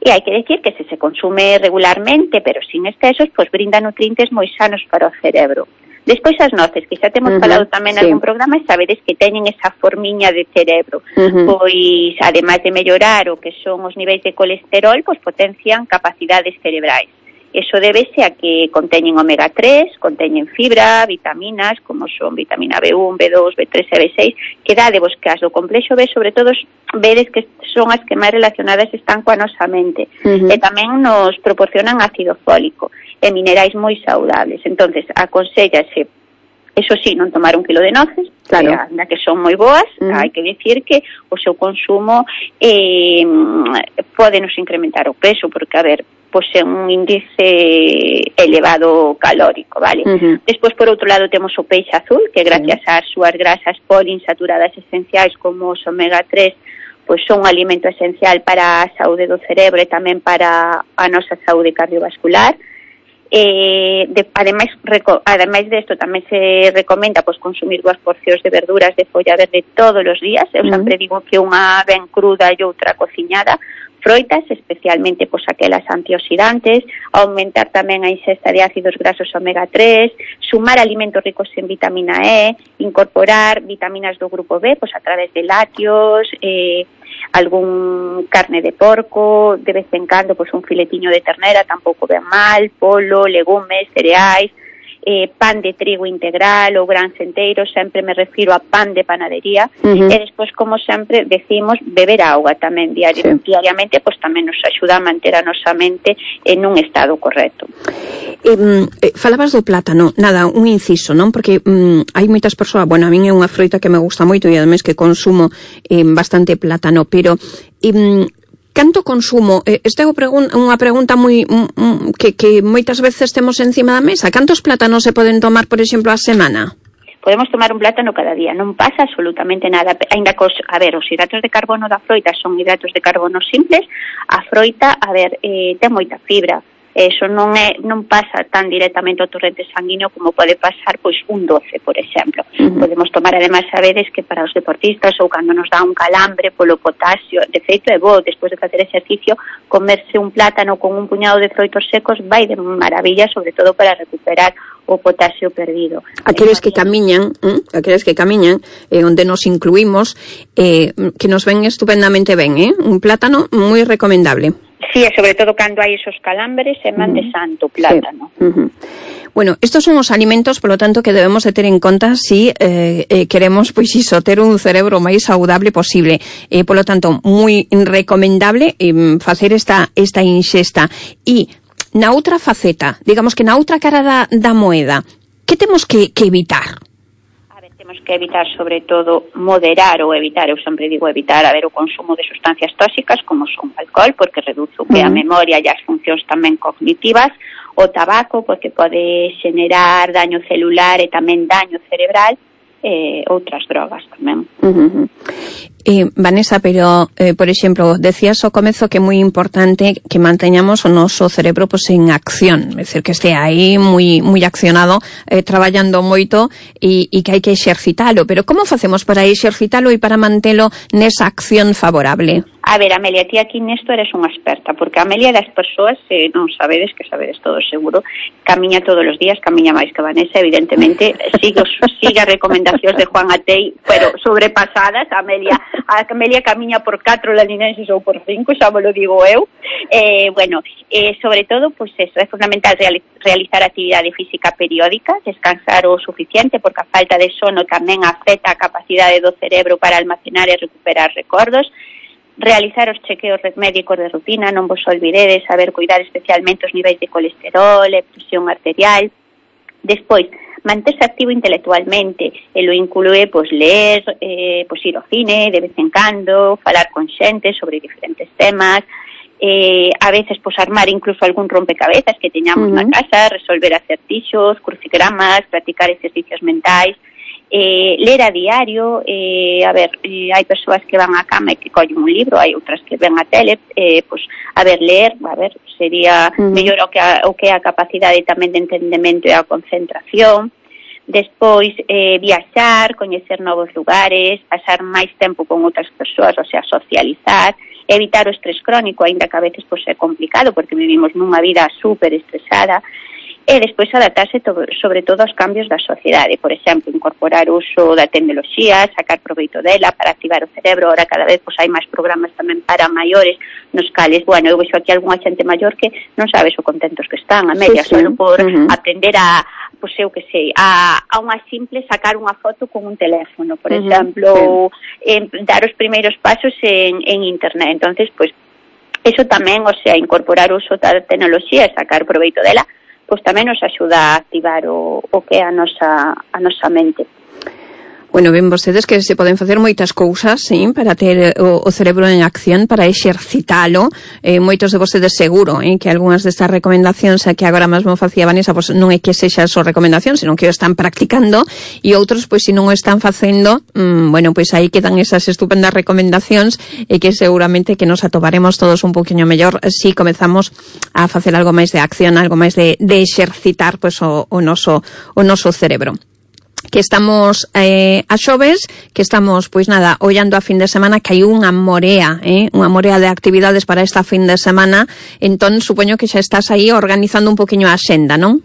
E hai que decir que se consume regularmente, pero sin excesos, pois brinda nutrientes moi sanos para o cerebro. Despois as noces, que xa temos falado tamén en algún programa, e sabedes que teñen esa formiña de cerebro. Pois, ademais de mellorar o que son os niveis de colesterol, pois potencian capacidades cerebrais. Eso débese a que conteñen omega 3, conteñen fibra, vitaminas, como son vitamina B1, B2, B3 e B6, que dádevos que as do complexo B, sobre todo, vedes que son as que máis relacionadas están coa nosa mente. E tamén nos proporcionan ácido fólico e minerais moi saudables. Entonces, aconsellase Eso sí, non tomar 1 kilo de noces, claro, anda que son moi boas, hai que dicir que o seu consumo pode nos incrementar o peso, porque, a ver, posee un índice elevado calórico, vale? Despois, por outro lado, temos o peixe azul, que gracias ás súas grasas poliinsaturadas esenciais como os omega 3, pois son un alimento esencial para a saúde do cerebro e tamén para a nosa saúde cardiovascular. Ademais desto, tamén se recomenda pois consumir 2 porcións de verduras de folla verde todos os días. Eu sempre digo que unha ben cruda e outra cociñada. Froitas, especialmente pois aquelas antioxidantes, aumentar tamén a ingesta de ácidos grasos omega 3, sumar alimentos ricos en vitamina E, incorporar vitaminas do grupo B pois a través de lácteos, algún carne de porco, de vez en cando pois un filetiño de ternera tampouco ven mal, polo, legumes, cereais, pan de trigo integral ou grans enteiros, sempre me refiro a pan de panadería, e despois, como sempre decimos, beber auga tamén diariamente, pois tamén nos axuda a manter a nosa mente en un estado correcto. Falabas do plátano, nada, un inciso, non? Porque hai moitas persoas, bueno, a min é unha froita que me gusta moito e ademais que consumo bastante plátano, pero canto consumo? Esta é unha pregunta moi que moitas veces temos encima da mesa. Cantos plátanos se poden tomar, por exemplo, a semana? Podemos tomar un plátano cada día, non pasa absolutamente nada. Ainda que os hidratos de carbono da froita son hidratos de carbono simples, a froita, ten moita fibra. Eso non pasa tan directamente ao torrente sanguíneo como pode pasar pois un doce, por exemplo. Podemos tomar, ademais, a veces que para os deportistas ou cando nos dá un calambre polo potasio, de feito é bo, despois de facer exercicio, comerse un plátano con un puñado de froitos secos vai de maravilla, sobre todo para recuperar o potasio perdido. Aqueles que camiñan, onde nos incluímos, que nos ven estupendamente ben, un plátano moi recomendable. Sí, sobre todo cando hai esos calambres, é man de santo plátano. Bueno, estos son os alimentos, polo tanto, que debemos de ter en conta si queremos, pois iso, ter un cerebro máis saudable posible. Polo tanto, moi recomendable facer esta inxesta. E na outra faceta, digamos que na outra cara da moeda, que temos que evitar? Temos que evitar, sobre todo, moderar ou evitar, eu sempre digo evitar, o consumo de sustancias tóxicas como son o alcohol, porque reduce o que a memoria e as funcións tamén cognitivas, o tabaco, porque pode xenerar daño celular e tamén daño cerebral, outras drogas tamén. Vanessa, pero, por exemplo, decías ao comezo que é moi importante que manteñamos o noso cerebro pois en acción, é dicir, que este aí moi accionado, traballando moito e que hai que exercitalo, pero como facemos para exercitalo e para mantelo nesa acción favorable? A ver, Amelia, ti aquí nesto eres unha experta, porque a Amelia das persoas, non sabedes, que sabedes todos seguro, camiña todos os días, camiña máis que Vanessa, evidentemente, sigue as recomendacións de Juan Atei, pero sobrepasadas. A Amelia camiña por 4 laninenses ou por 5, xa me lo digo eu. Sobre todo, pois eso, é fundamental realizar actividade física periódica, descansar o suficiente, porque a falta de sono tamén afecta a capacidade do cerebro para almacenar e recuperar recordos. Realizar os chequeos médicos de rutina, non vos olvidedes, saber cuidar especialmente os niveis de colesterol e presión arterial. Despois, manterse activo intelectualmente, e lo inclúe ler, ir ao cine de vez en cando, falar con xente sobre diferentes temas, a veces armar incluso algún rompecabezas que teñamos na casa, resolver acertixos, crucigramas, practicar exercicios mentais, ler a diario, hai persoas que van á cama e que collen un libro, hai outras que ven a tele, ler, sería mellor o que é a capacidade tamén de entendemento e a concentración. Despois, viaxar, coñecer novos lugares, pasar máis tempo con outras persoas, o sea, socializar, evitar o estrés crónico, aínda que a veces é complicado porque vivimos nunha vida super estresada. E despois adaptarse sobre todo aos cambios da sociedade, por exemplo, incorporar o uso da tecnoloxía, sacar proveito dela para activar o cerebro. Ahora cada vez hai máis programas tamén para maiores, nos cales, eu vexo aquí algunha xente maior que non sabes o contentos que están, a media, só por aprender a unha simple sacar unha foto con un teléfono, por exemplo, ou dar os primeiros pasos en internet. Entonces, eso tamén, incorporar o uso da tecnoloxía e sacar proveito dela, tamén nos axuda a activar o que é a nosa mente. Bueno, ven vostedes que se poden facer moitas cousas, sí, para ter o cerebro en acción, para exercitalo. Moitos de vostedes seguro, que algunhas destas recomendacións que agora mesmo facía Vanessa, pues non é que sexa só recomendación, senón que o están practicando, e outros, pues, se non o están facendo, bueno, pues aí quedan esas estupendas recomendacións e que seguramente que nos atoparemos todos un poquinho mellor si comezamos a facer algo máis de acción, algo máis de exercitar, pues, o noso cerebro. Que estamos a xoves, que estamos, pois nada, ollando a fin de semana, que hai unha morea de actividades para esta fin de semana, entón supoño que xa estás aí organizando un poquinho a axenda, non?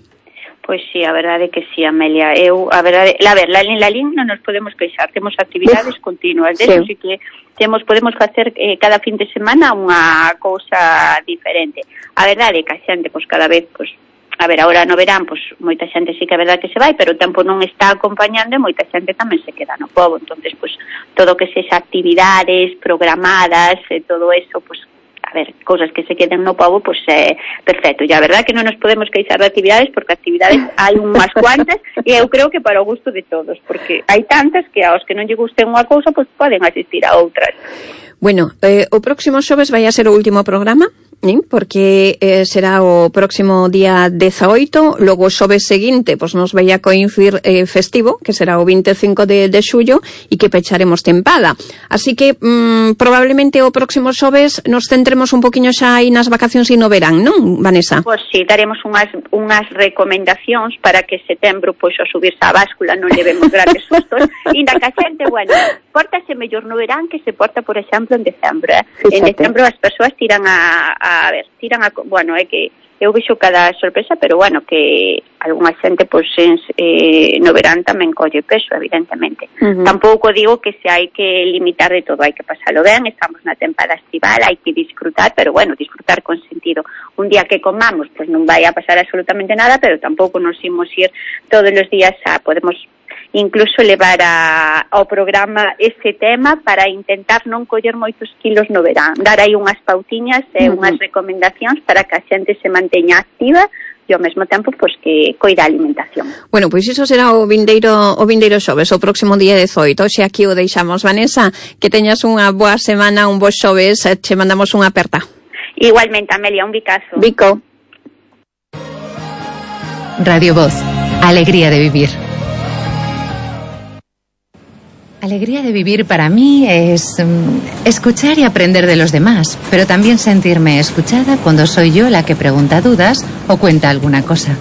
Pois sí, a verdade que sí, Amelia. La LIN non nos podemos queixar, temos actividades continuas, de eso sí que podemos facer cada fin de semana unha cousa diferente. A verdade que a xente, pois cada vez, pois, a ver, agora no verán, pois moita xente sí que é verdade que se vai, pero o tempo non está acompañando e moita xente tamén se queda no pobo. Entonces, pois, todo que sexa actividades programadas e todo eso, pois, a ver, cousas que se queden no pobo, pois é perfecto. E a verdade que non nos podemos queixar de actividades, porque actividades hai unhas cuantas e eu creo que para o gusto de todos, porque hai tantas que aos que non lle guste unha cousa, pois poden asistir a outras. Bueno, o próximo xoves vai a ser o último programa, porque será o próximo día 18, logo o xoves seguinte pois nos vai a coincidir festivo, que será o 25 de xullo, e que pecharemos tempada. Así que probablemente o próximo xoves nos centremos un poquinho xa aí nas vacacións e no verán, non, Vanessa? Pois sí, daremos unhas recomendacións para que setembro, pois, ao subirse a báscula non levemos grandes sustos, e na que a xente, bueno, pórtase mellor no verán que se porta, por exemplo, en decembro. En decembro as persoas tiran bueno, é que eu vexo cada sorpresa, pero bueno, que algunha xente, pois, no verán tamén colle peso, evidentemente. Tampouco digo que se hai que limitar de todo, hai que pasalo ben, estamos na tempada estival, hai que disfrutar, pero bueno, disfrutar con sentido. Un día que comamos, pois non vai a pasar absolutamente nada, pero tampouco nos imos ir todos os días podemos incluso levar ao programa ese tema para intentar non coller moitos kilos no verán, dar aí unhas pautiñas e unhas recomendacións para que a xente se manteña activa e ao mesmo tempo, pois, que coida a alimentación. Bueno, pois iso será o vindeiro xoves, o próximo día 18. Xe aquí o deixamos. Vanessa, que teñas unha boa semana, un bo xoves, che mandamos unha aperta. Igualmente, Amelia, un bicazo. Bico. Radio Voz, alegría de vivir. Alegría de vivir para mí es escuchar y aprender de los demás, pero también sentirme escuchada cuando soy yo la que pregunta dudas o cuenta alguna cosa.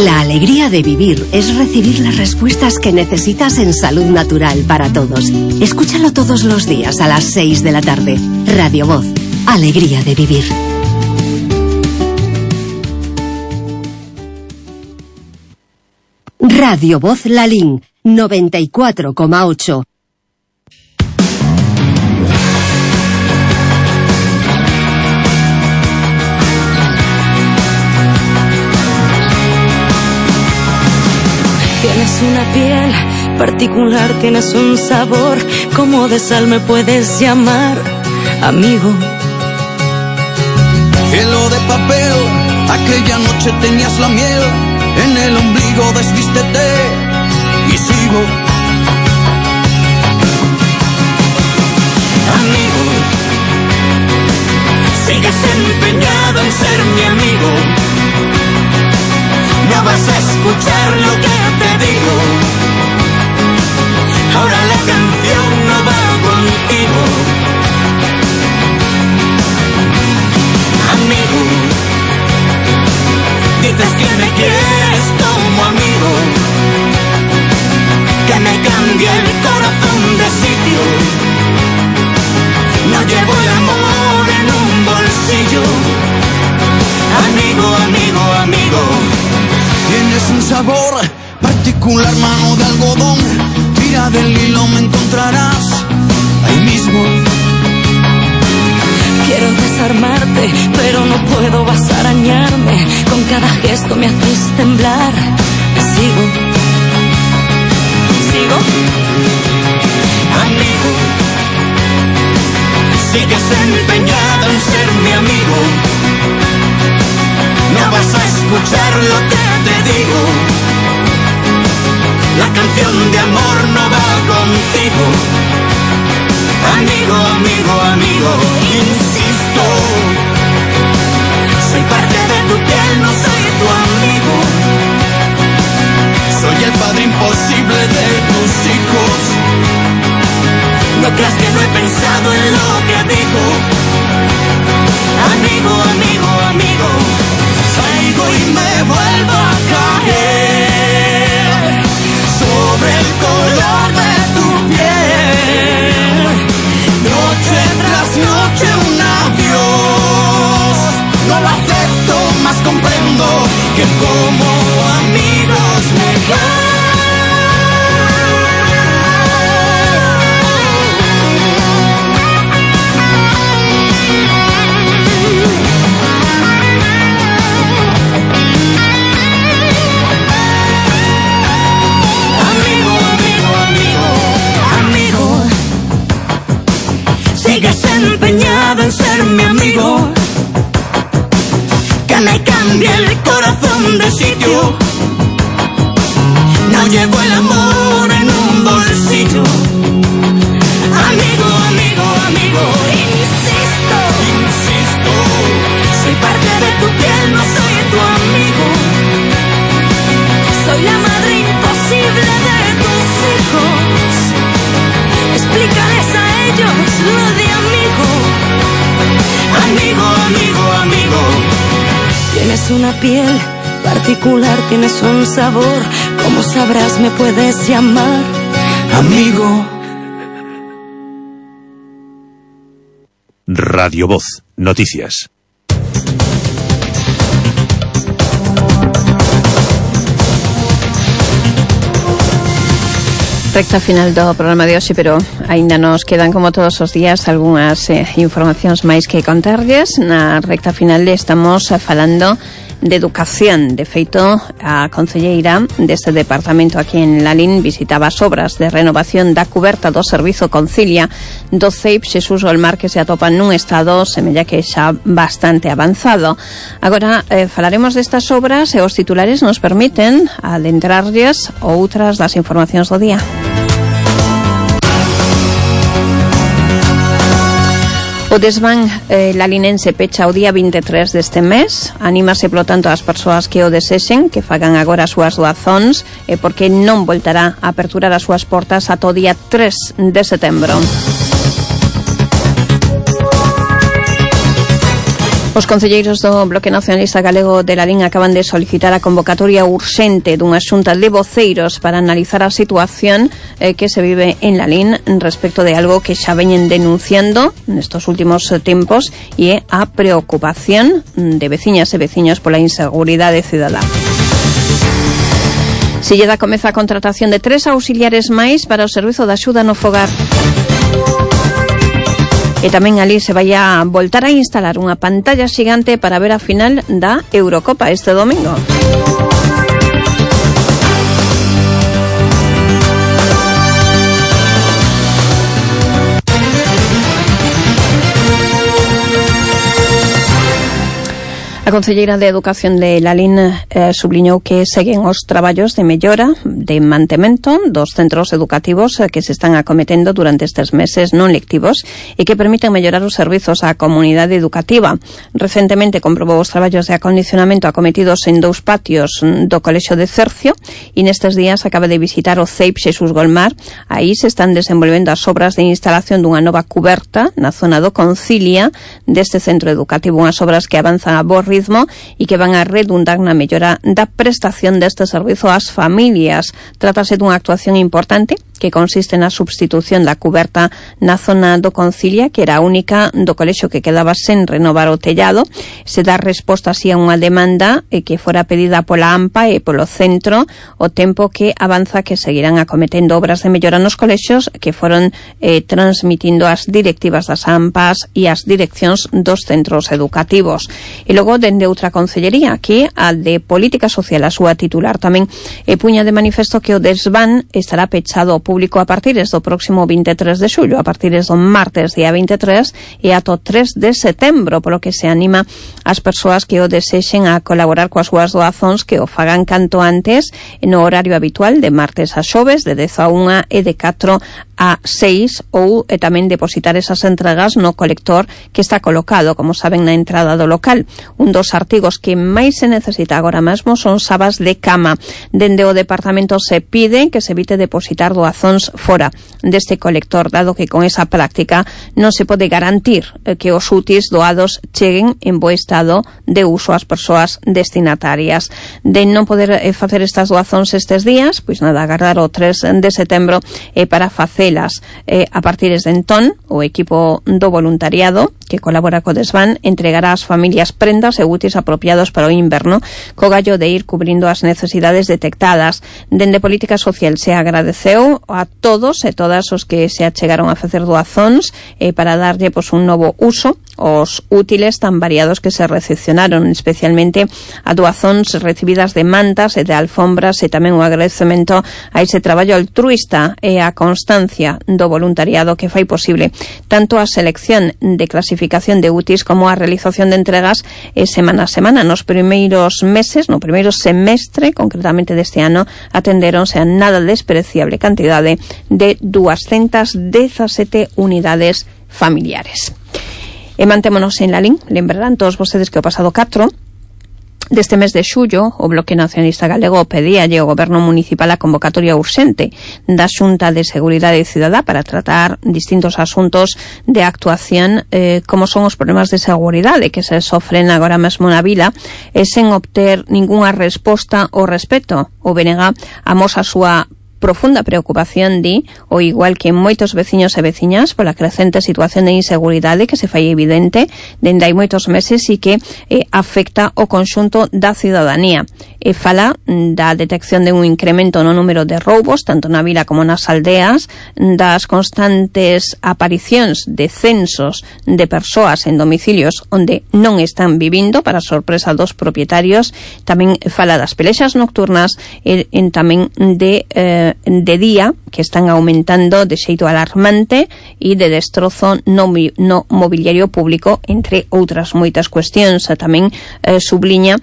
La alegría de vivir es recibir las respuestas que necesitas en Salud Natural para Todos. Escúchalo todos los días a las 6 de la tarde. Radio Voz, alegría de vivir. Radio Voz Lalín 94,8. Tienes una piel particular, tienes un sabor, como de sal me puedes llamar amigo. Cielo de papel, aquella noche tenías la miel en el ombligo, desvístete y sigo. Amigo, sigues empeñado en ser mi amigo. No vas a escuchar lo que te digo. Ahora la canción no va contigo. Amigo, dices que me quieres como amigo, que me cambie el corazón de sitio. No llevo el amor en un bolsillo. Amigo, amigo, amigo. Tienes un sabor particular, mano de algodón. Tira del hilo, me encontrarás ahí mismo. Quiero desarmarte, pero no puedo, vas a arañarme. Con cada gesto me haces temblar. Sigo. Amigo, sigues empeñado en ser mi amigo. No no vas a escuchar lo que te digo. La canción de amor no va contigo. Amigo, amigo, amigo, insisto. Soy parte de tu piel, no soy tu amigo. Soy el padre imposible de tus hijos. No creas que no he pensado en lo que digo. Amigo, amigo, amigo, caigo y me vuelvo a caer sobre el color de tu piel. Noche tras noche un adiós. No lo acepto, más comprendo que como amigos me quedan. Sigues empeñado en ser mi amigo, que me cambie el corazón de sitio. No llevo el amor en un bolsillo. Amigo, amigo, amigo, insisto, insisto. Soy parte de tu piel, no soy tu amigo. Soy la madre imposible de tus hijos. Explícales a ellos lo de amigo. Amigo, amigo, amigo. Tienes una piel particular, tienes un sabor. Como sabrás, me puedes llamar amigo. Radio Voz, noticias. Recta final do programa de hoxe, pero aínda nos quedan, como todos os días, algunhas informacións máis que contarlles. Na recta final estamos falando de educación. De feito, a concelleira deste departamento aquí en Lalín visitaba as obras de renovación da cuberta do servizo Concilia do CEIP Xesús Golmar, que se atopan nun estado semella que xa bastante avanzado. Agora falaremos destas obras e os titulares nos permiten adentrarlles outras das informacións do día. O desván lalinense pecha o día 23 deste mes. Anímase, polo tanto, as persoas que o desexen que fagan agora as súas doazóns, porque non voltará a aperturar as súas portas ata o día 3 de setembro. Os concelleiros do Bloque Nacionalista Galego de Lalín acaban de solicitar a convocatoria urxente dunha xunta de voceiros para analizar a situación que se vive en Lalín respecto de algo que xa veñen denunciando nestos últimos tempos, e é a preocupación de veciñas e veciños pola inseguridade cidadá. Silleda comeza a contratación de 3 auxiliares máis para o servizo de axuda no fogar. E tamén ali se vai a voltar a instalar unha pantalla xigante para ver a final da Eurocopa este domingo. A concelleira de Educación de Lalín subliñou que seguen os traballos de mellora, de mantemento dos centros educativos que se están acometendo durante estes meses non lectivos e que permiten mellorar os servizos á comunidade educativa. Recentemente comprobou os traballos de acondicionamento acometidos en 2 patios do Colexio de Cercio e nestes días acaba de visitar o CEIP Xesús Golmar. Aí se están desenvolvendo as obras de instalación dunha nova cuberta na zona do Concilia deste centro educativo, unhas obras que avanzan a bo ritmo e que van a redundar na mellora da prestación deste servizo ás familias. Trátase dunha actuación importante que consiste na substitución da cuberta na zona do Concilia, que era a única do colexio que quedaba sen renovar o tellado. Se dá resposta así a unha demanda que fora pedida pola AMPA e polo centro, o tempo que avanza que seguirán acometendo obras de mellora nos colexios que foron transmitindo as directivas das AMPAs e as direccións dos centros educativos. E logo, dende outra concellería, que a de Política Social, a súa titular tamén puña de manifesto que o desván estará pechado ao público a partir do próximo 23 de xullo, a partir do martes día 23 e ato 3 de setembro, polo que se anima as persoas que o desexen a colaborar coas súas doazóns que o fagan canto antes no horario habitual de martes a xoves de 10 a 1 e de 4 a 6 ou tamén depositar esas entregas no colector que está colocado, como saben, na entrada do local. Un dos artigos que máis se necesita agora mesmo son sabas de cama. Dende o departamento se pide que se evite depositar doazóns fora deste colector, dado que con esa práctica non se pode garantir que os útiles doados cheguen en bo estado de uso ás persoas destinatarias. De non poder facer estas doazóns estes días, pois nada, agardar o 3 de setembro para facelas. A partir de entón, o equipo do voluntariado que colabora co Desván entregará ás familias prendas e útiles apropiados para o inverno, co gallo de ir cubrindo as necesidades detectadas. Dende Política Social se agradeceu a todos e todas os que se achegaron a facer doazóns para darlle un novo uso os útiles tan variados que se recepcionaron, especialmente a doazóns recibidas de mantas e de alfombras, e tamén o agradecemento a ese traballo altruista e a constancia do voluntariado que fai posible tanto a selección de clasificación de útiles como a realización de entregas semana a semana. Nos primeiros meses, no primeiro semestre concretamente deste ano, atendéronse a nada despreciable cantidade de 217 unidades familiares. E mantémonos en la LIN. Lembrarán todos vostedes que o pasado 4 deste mes de xullo o Bloque Nacionalista Galego pedíalle ao Goberno Municipal a convocatoria urxente da Xunta de Seguridade Cidadá para tratar distintos asuntos de actuación como son os problemas de seguridade que se sofren agora mesmo na vila, sen obter ningunha resposta ao respecto. O BNG amosa a súa profunda preocupación, di, o igual que moitos veciños e veciñas, pola crecente situación de inseguridade que se fai evidente dende hai moitos meses e que afecta o conxunto da cidadanía. Fala da detección de un incremento no número de roubos, tanto na vila como nas aldeas, das constantes aparicións de censos de persoas en domicilios onde non están vivindo, para sorpresa dos propietarios. Tamén fala das pelexas nocturnas e tamén de día, que están aumentando de xeito alarmante, e de destrozo no mobiliario público, entre outras moitas cuestións. Tamén subliña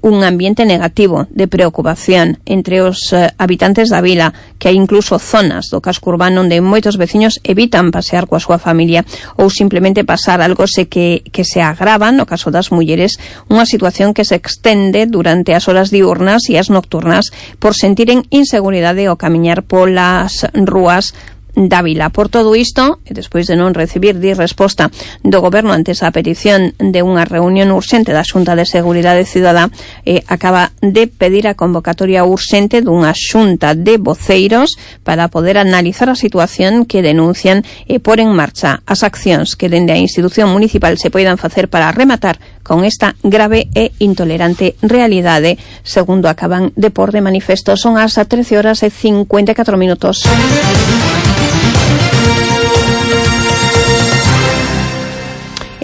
un ambiente negativo de preocupación entre os habitantes da vila, que hai incluso zonas do casco urbano onde moitos veciños evitan pasear coa súa familia ou simplemente pasar algo que se agrava, no caso das mulleres, unha situación que se extende durante as horas diurnas e as nocturnas por sentiren inseguridade ao camiñar polas rúas da vila. Por todo isto, e despois de non recibir resposta do Goberno ante esa petición de unha reunión urxente da Xunta de Seguridade Cidadá, acaba de pedir a convocatoria urxente dunha xunta de voceiros para poder analizar a situación que denuncian e pôr en marcha as accións que dende a institución municipal se poidan facer para rematar con esta grave e intolerante realidade, segundo acaban de pôr de manifesto. Son as 13:54.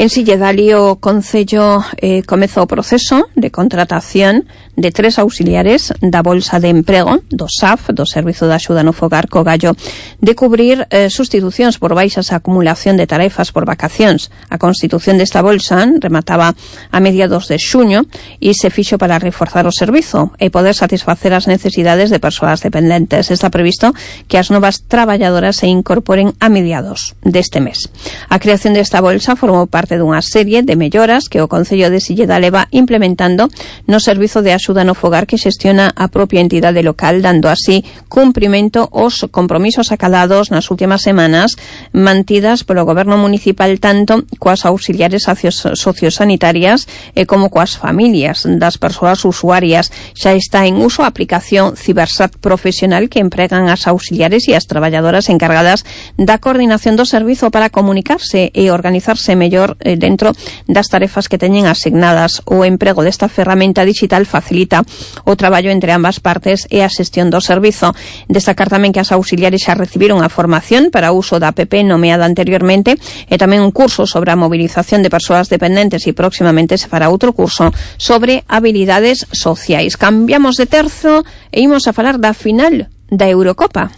En Silledali o Concello comeza o proceso de contratación de 3 auxiliares da Bolsa de Emprego do SAF, do Servizo de Axuda no Fogar, co gallo de cubrir sustitucións por baixas a acumulación de tarefas por vacacións. A constitución desta bolsa remataba a mediados de xuño e se fixo para reforzar o servizo e poder satisfacer as necesidades de persoas dependentes. Está previsto que as novas traballadoras se incorporen a mediados deste mes. A creación desta bolsa formou parte dunha serie de melloras que o Concello de Silleda leva implementando no Servizo de Axuda no Fogar que xestiona a propia entidade local, dando así cumprimento aos compromisos acadados nas últimas semanas mantidas polo Goberno Municipal tanto coas auxiliares sociosanitarias como coas familias das persoas usuarias. Xa está en uso a aplicación Cibersat Profesional que empregan as auxiliares e as traballadoras encargadas da coordinación do servizo para comunicarse e organizarse mellor dentro das tarefas que teñen asignadas. O emprego desta ferramenta digital facilita o traballo entre ambas partes e a xestión do servizo. Destacar tamén que as auxiliares xa recibiron a formación para o uso da app nomeada anteriormente e tamén un curso sobre a movilización de persoas dependentes e próximamente se fará outro curso sobre habilidades sociais. Cambiamos de terzo e imos a falar da final da Eurocopa.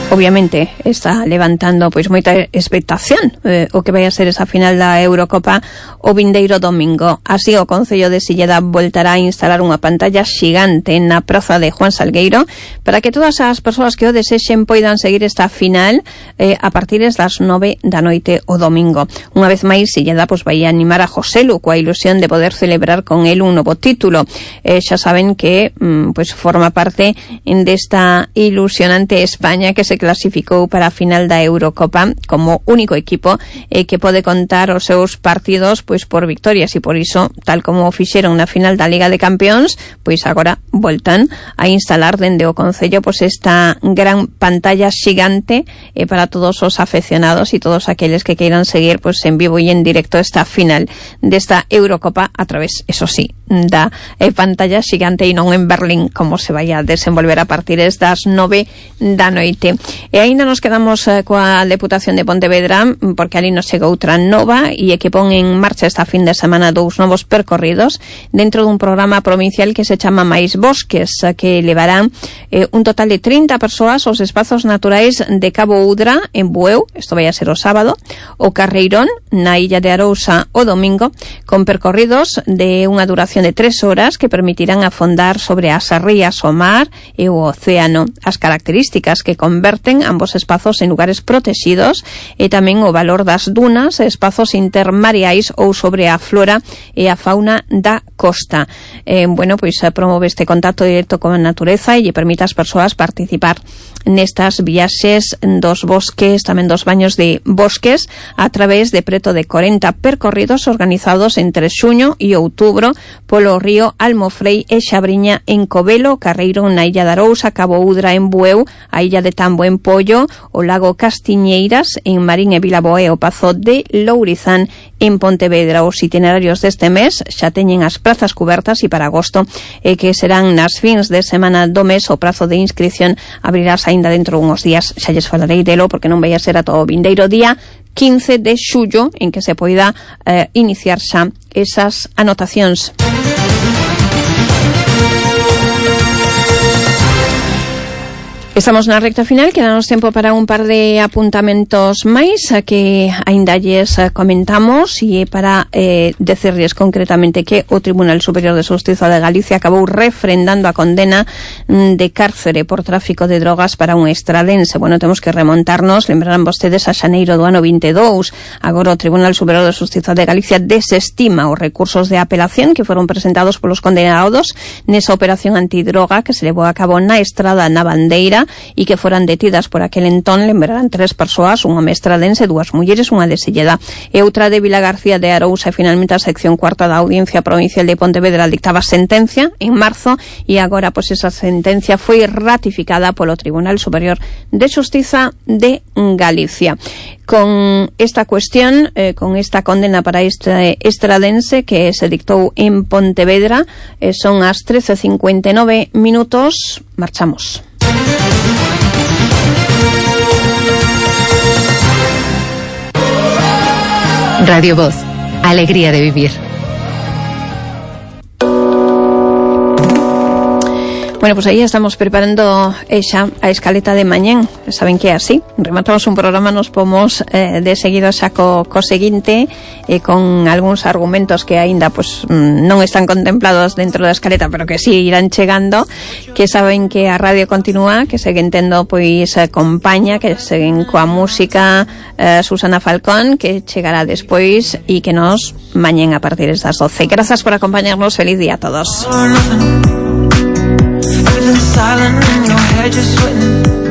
Obviamente está levantando pois moita expectación o que vai a ser esa final da Eurocopa o vindeiro domingo. Así o Concello de Silleda voltará a instalar unha pantalla xigante na praza de Juan Salgueiro para que todas as persoas que o desexen poidan seguir esta final a partir das 9 da noite o domingo. Unha vez máis, Silleda pois vai animar a Joselu coa ilusión de poder celebrar con el un novo título. Xa saben que pois forma parte desta ilusionante España que se clasificou para a final da Eurocopa como único equipo que pode contar os seus partidos pois por victorias, e por iso, tal como fixeron na final da Liga de Campións, pois agora voltan a instalar dende o Concello pois esta gran pantalla xigante para todos os afeccionados e todos aqueles que queiran seguir pois en vivo e en directo esta final desta Eurocopa a través, eso sí, da pantalla xigante e non en Berlín, como se vai a desenvolver a partir das 9 da noite. E aínda nos quedamos coa Deputación de Pontevedra, porque ali nos chega outra nova e que pon en marcha esta fin de semana 2 novos percorridos dentro dun programa provincial que se chama Mais Bosques, que levarán un total de 30 persoas aos espazos naturais de Cabo Udra en Bueu, isto vai a ser o sábado, o Carreirón na Illa de Arousa o domingo, con percorridos de unha duración de 3 horas que permitirán afondar sobre as rías, o mar e o océano, as características que converten ambos espazos en lugares protegidos e tamén o valor das dunas, espazos intermareais ou sobre a flora e a fauna da costa. Pois promove este contacto directo con a natureza e lle permite ás persoas participar nestas viaxes dos bosques, tamén dos baños de bosques, a través de preto de 40 percorridos organizados entre xuño e outubro polo río Almofrei e Xabriña en Covelo, Carreiro na Illa de Arousa, Cabo Udra en Bueu, a Illa de Tambo en Pollo, o lago Castiñeiras en Marín e Vilaboé, o Pazo de Lourizán en Pontevedra. Os itinerarios deste mes xa teñen as prazas cubertas e para agosto, que serán nas fins de semana do mes, o prazo de inscripción abrirás aínda dentro unhos días. Xa lles falarei delo porque non vai a ser a todo o vindeiro día 15 de xullo en que se poida iniciar xa esas anotacións. Estamos na recta final, quedanos tempo para un par de apuntamentos máis que aínda lles comentamos e para decirles concretamente que o Tribunal Superior de Xustiza de Galicia acabou refrendando a condena de cárcere por tráfico de drogas para un estradense. Temos que remontarnos, lembrarán vostedes, a xaneiro do ano 22. Agora o Tribunal Superior de Xustiza de Galicia desestima os recursos de apelación que foron presentados polos condenados nesa operación antidroga que se levou a cabo na Estrada na Bandeira e que foran detidas por aquel entón, lembrarán 3 persoas, un home estradense, 2 mulleres, unha de Silleda e outra de Vila García de Arousa. E finalmente a sección cuarta da Audiencia Provincial de Pontevedra dictaba sentencia en marzo e agora pois esa sentencia foi ratificada polo Tribunal Superior de Xustiza de Galicia. Con esta cuestión, con esta condena para este estradense que se dictou en Pontevedra, son as 13:59 minutos, marchamos. Radio Voz, alegría de vivir. Pues aí estamos preparando xa a escaleta de mañén. Saben que é así, rematamos un programa, nos pomos de seguido xa co seguinte, con algúns argumentos que aínda non están contemplados dentro da escaleta, pero que sí irán chegando, que saben que a radio continúa, que seguen tendo compañía, que seguen coa música Susana Falcón, que chegará despois e que nos mañén a partir das 12. Grazas por acompañarnos, feliz día a todos. Silent in your head, just sweating.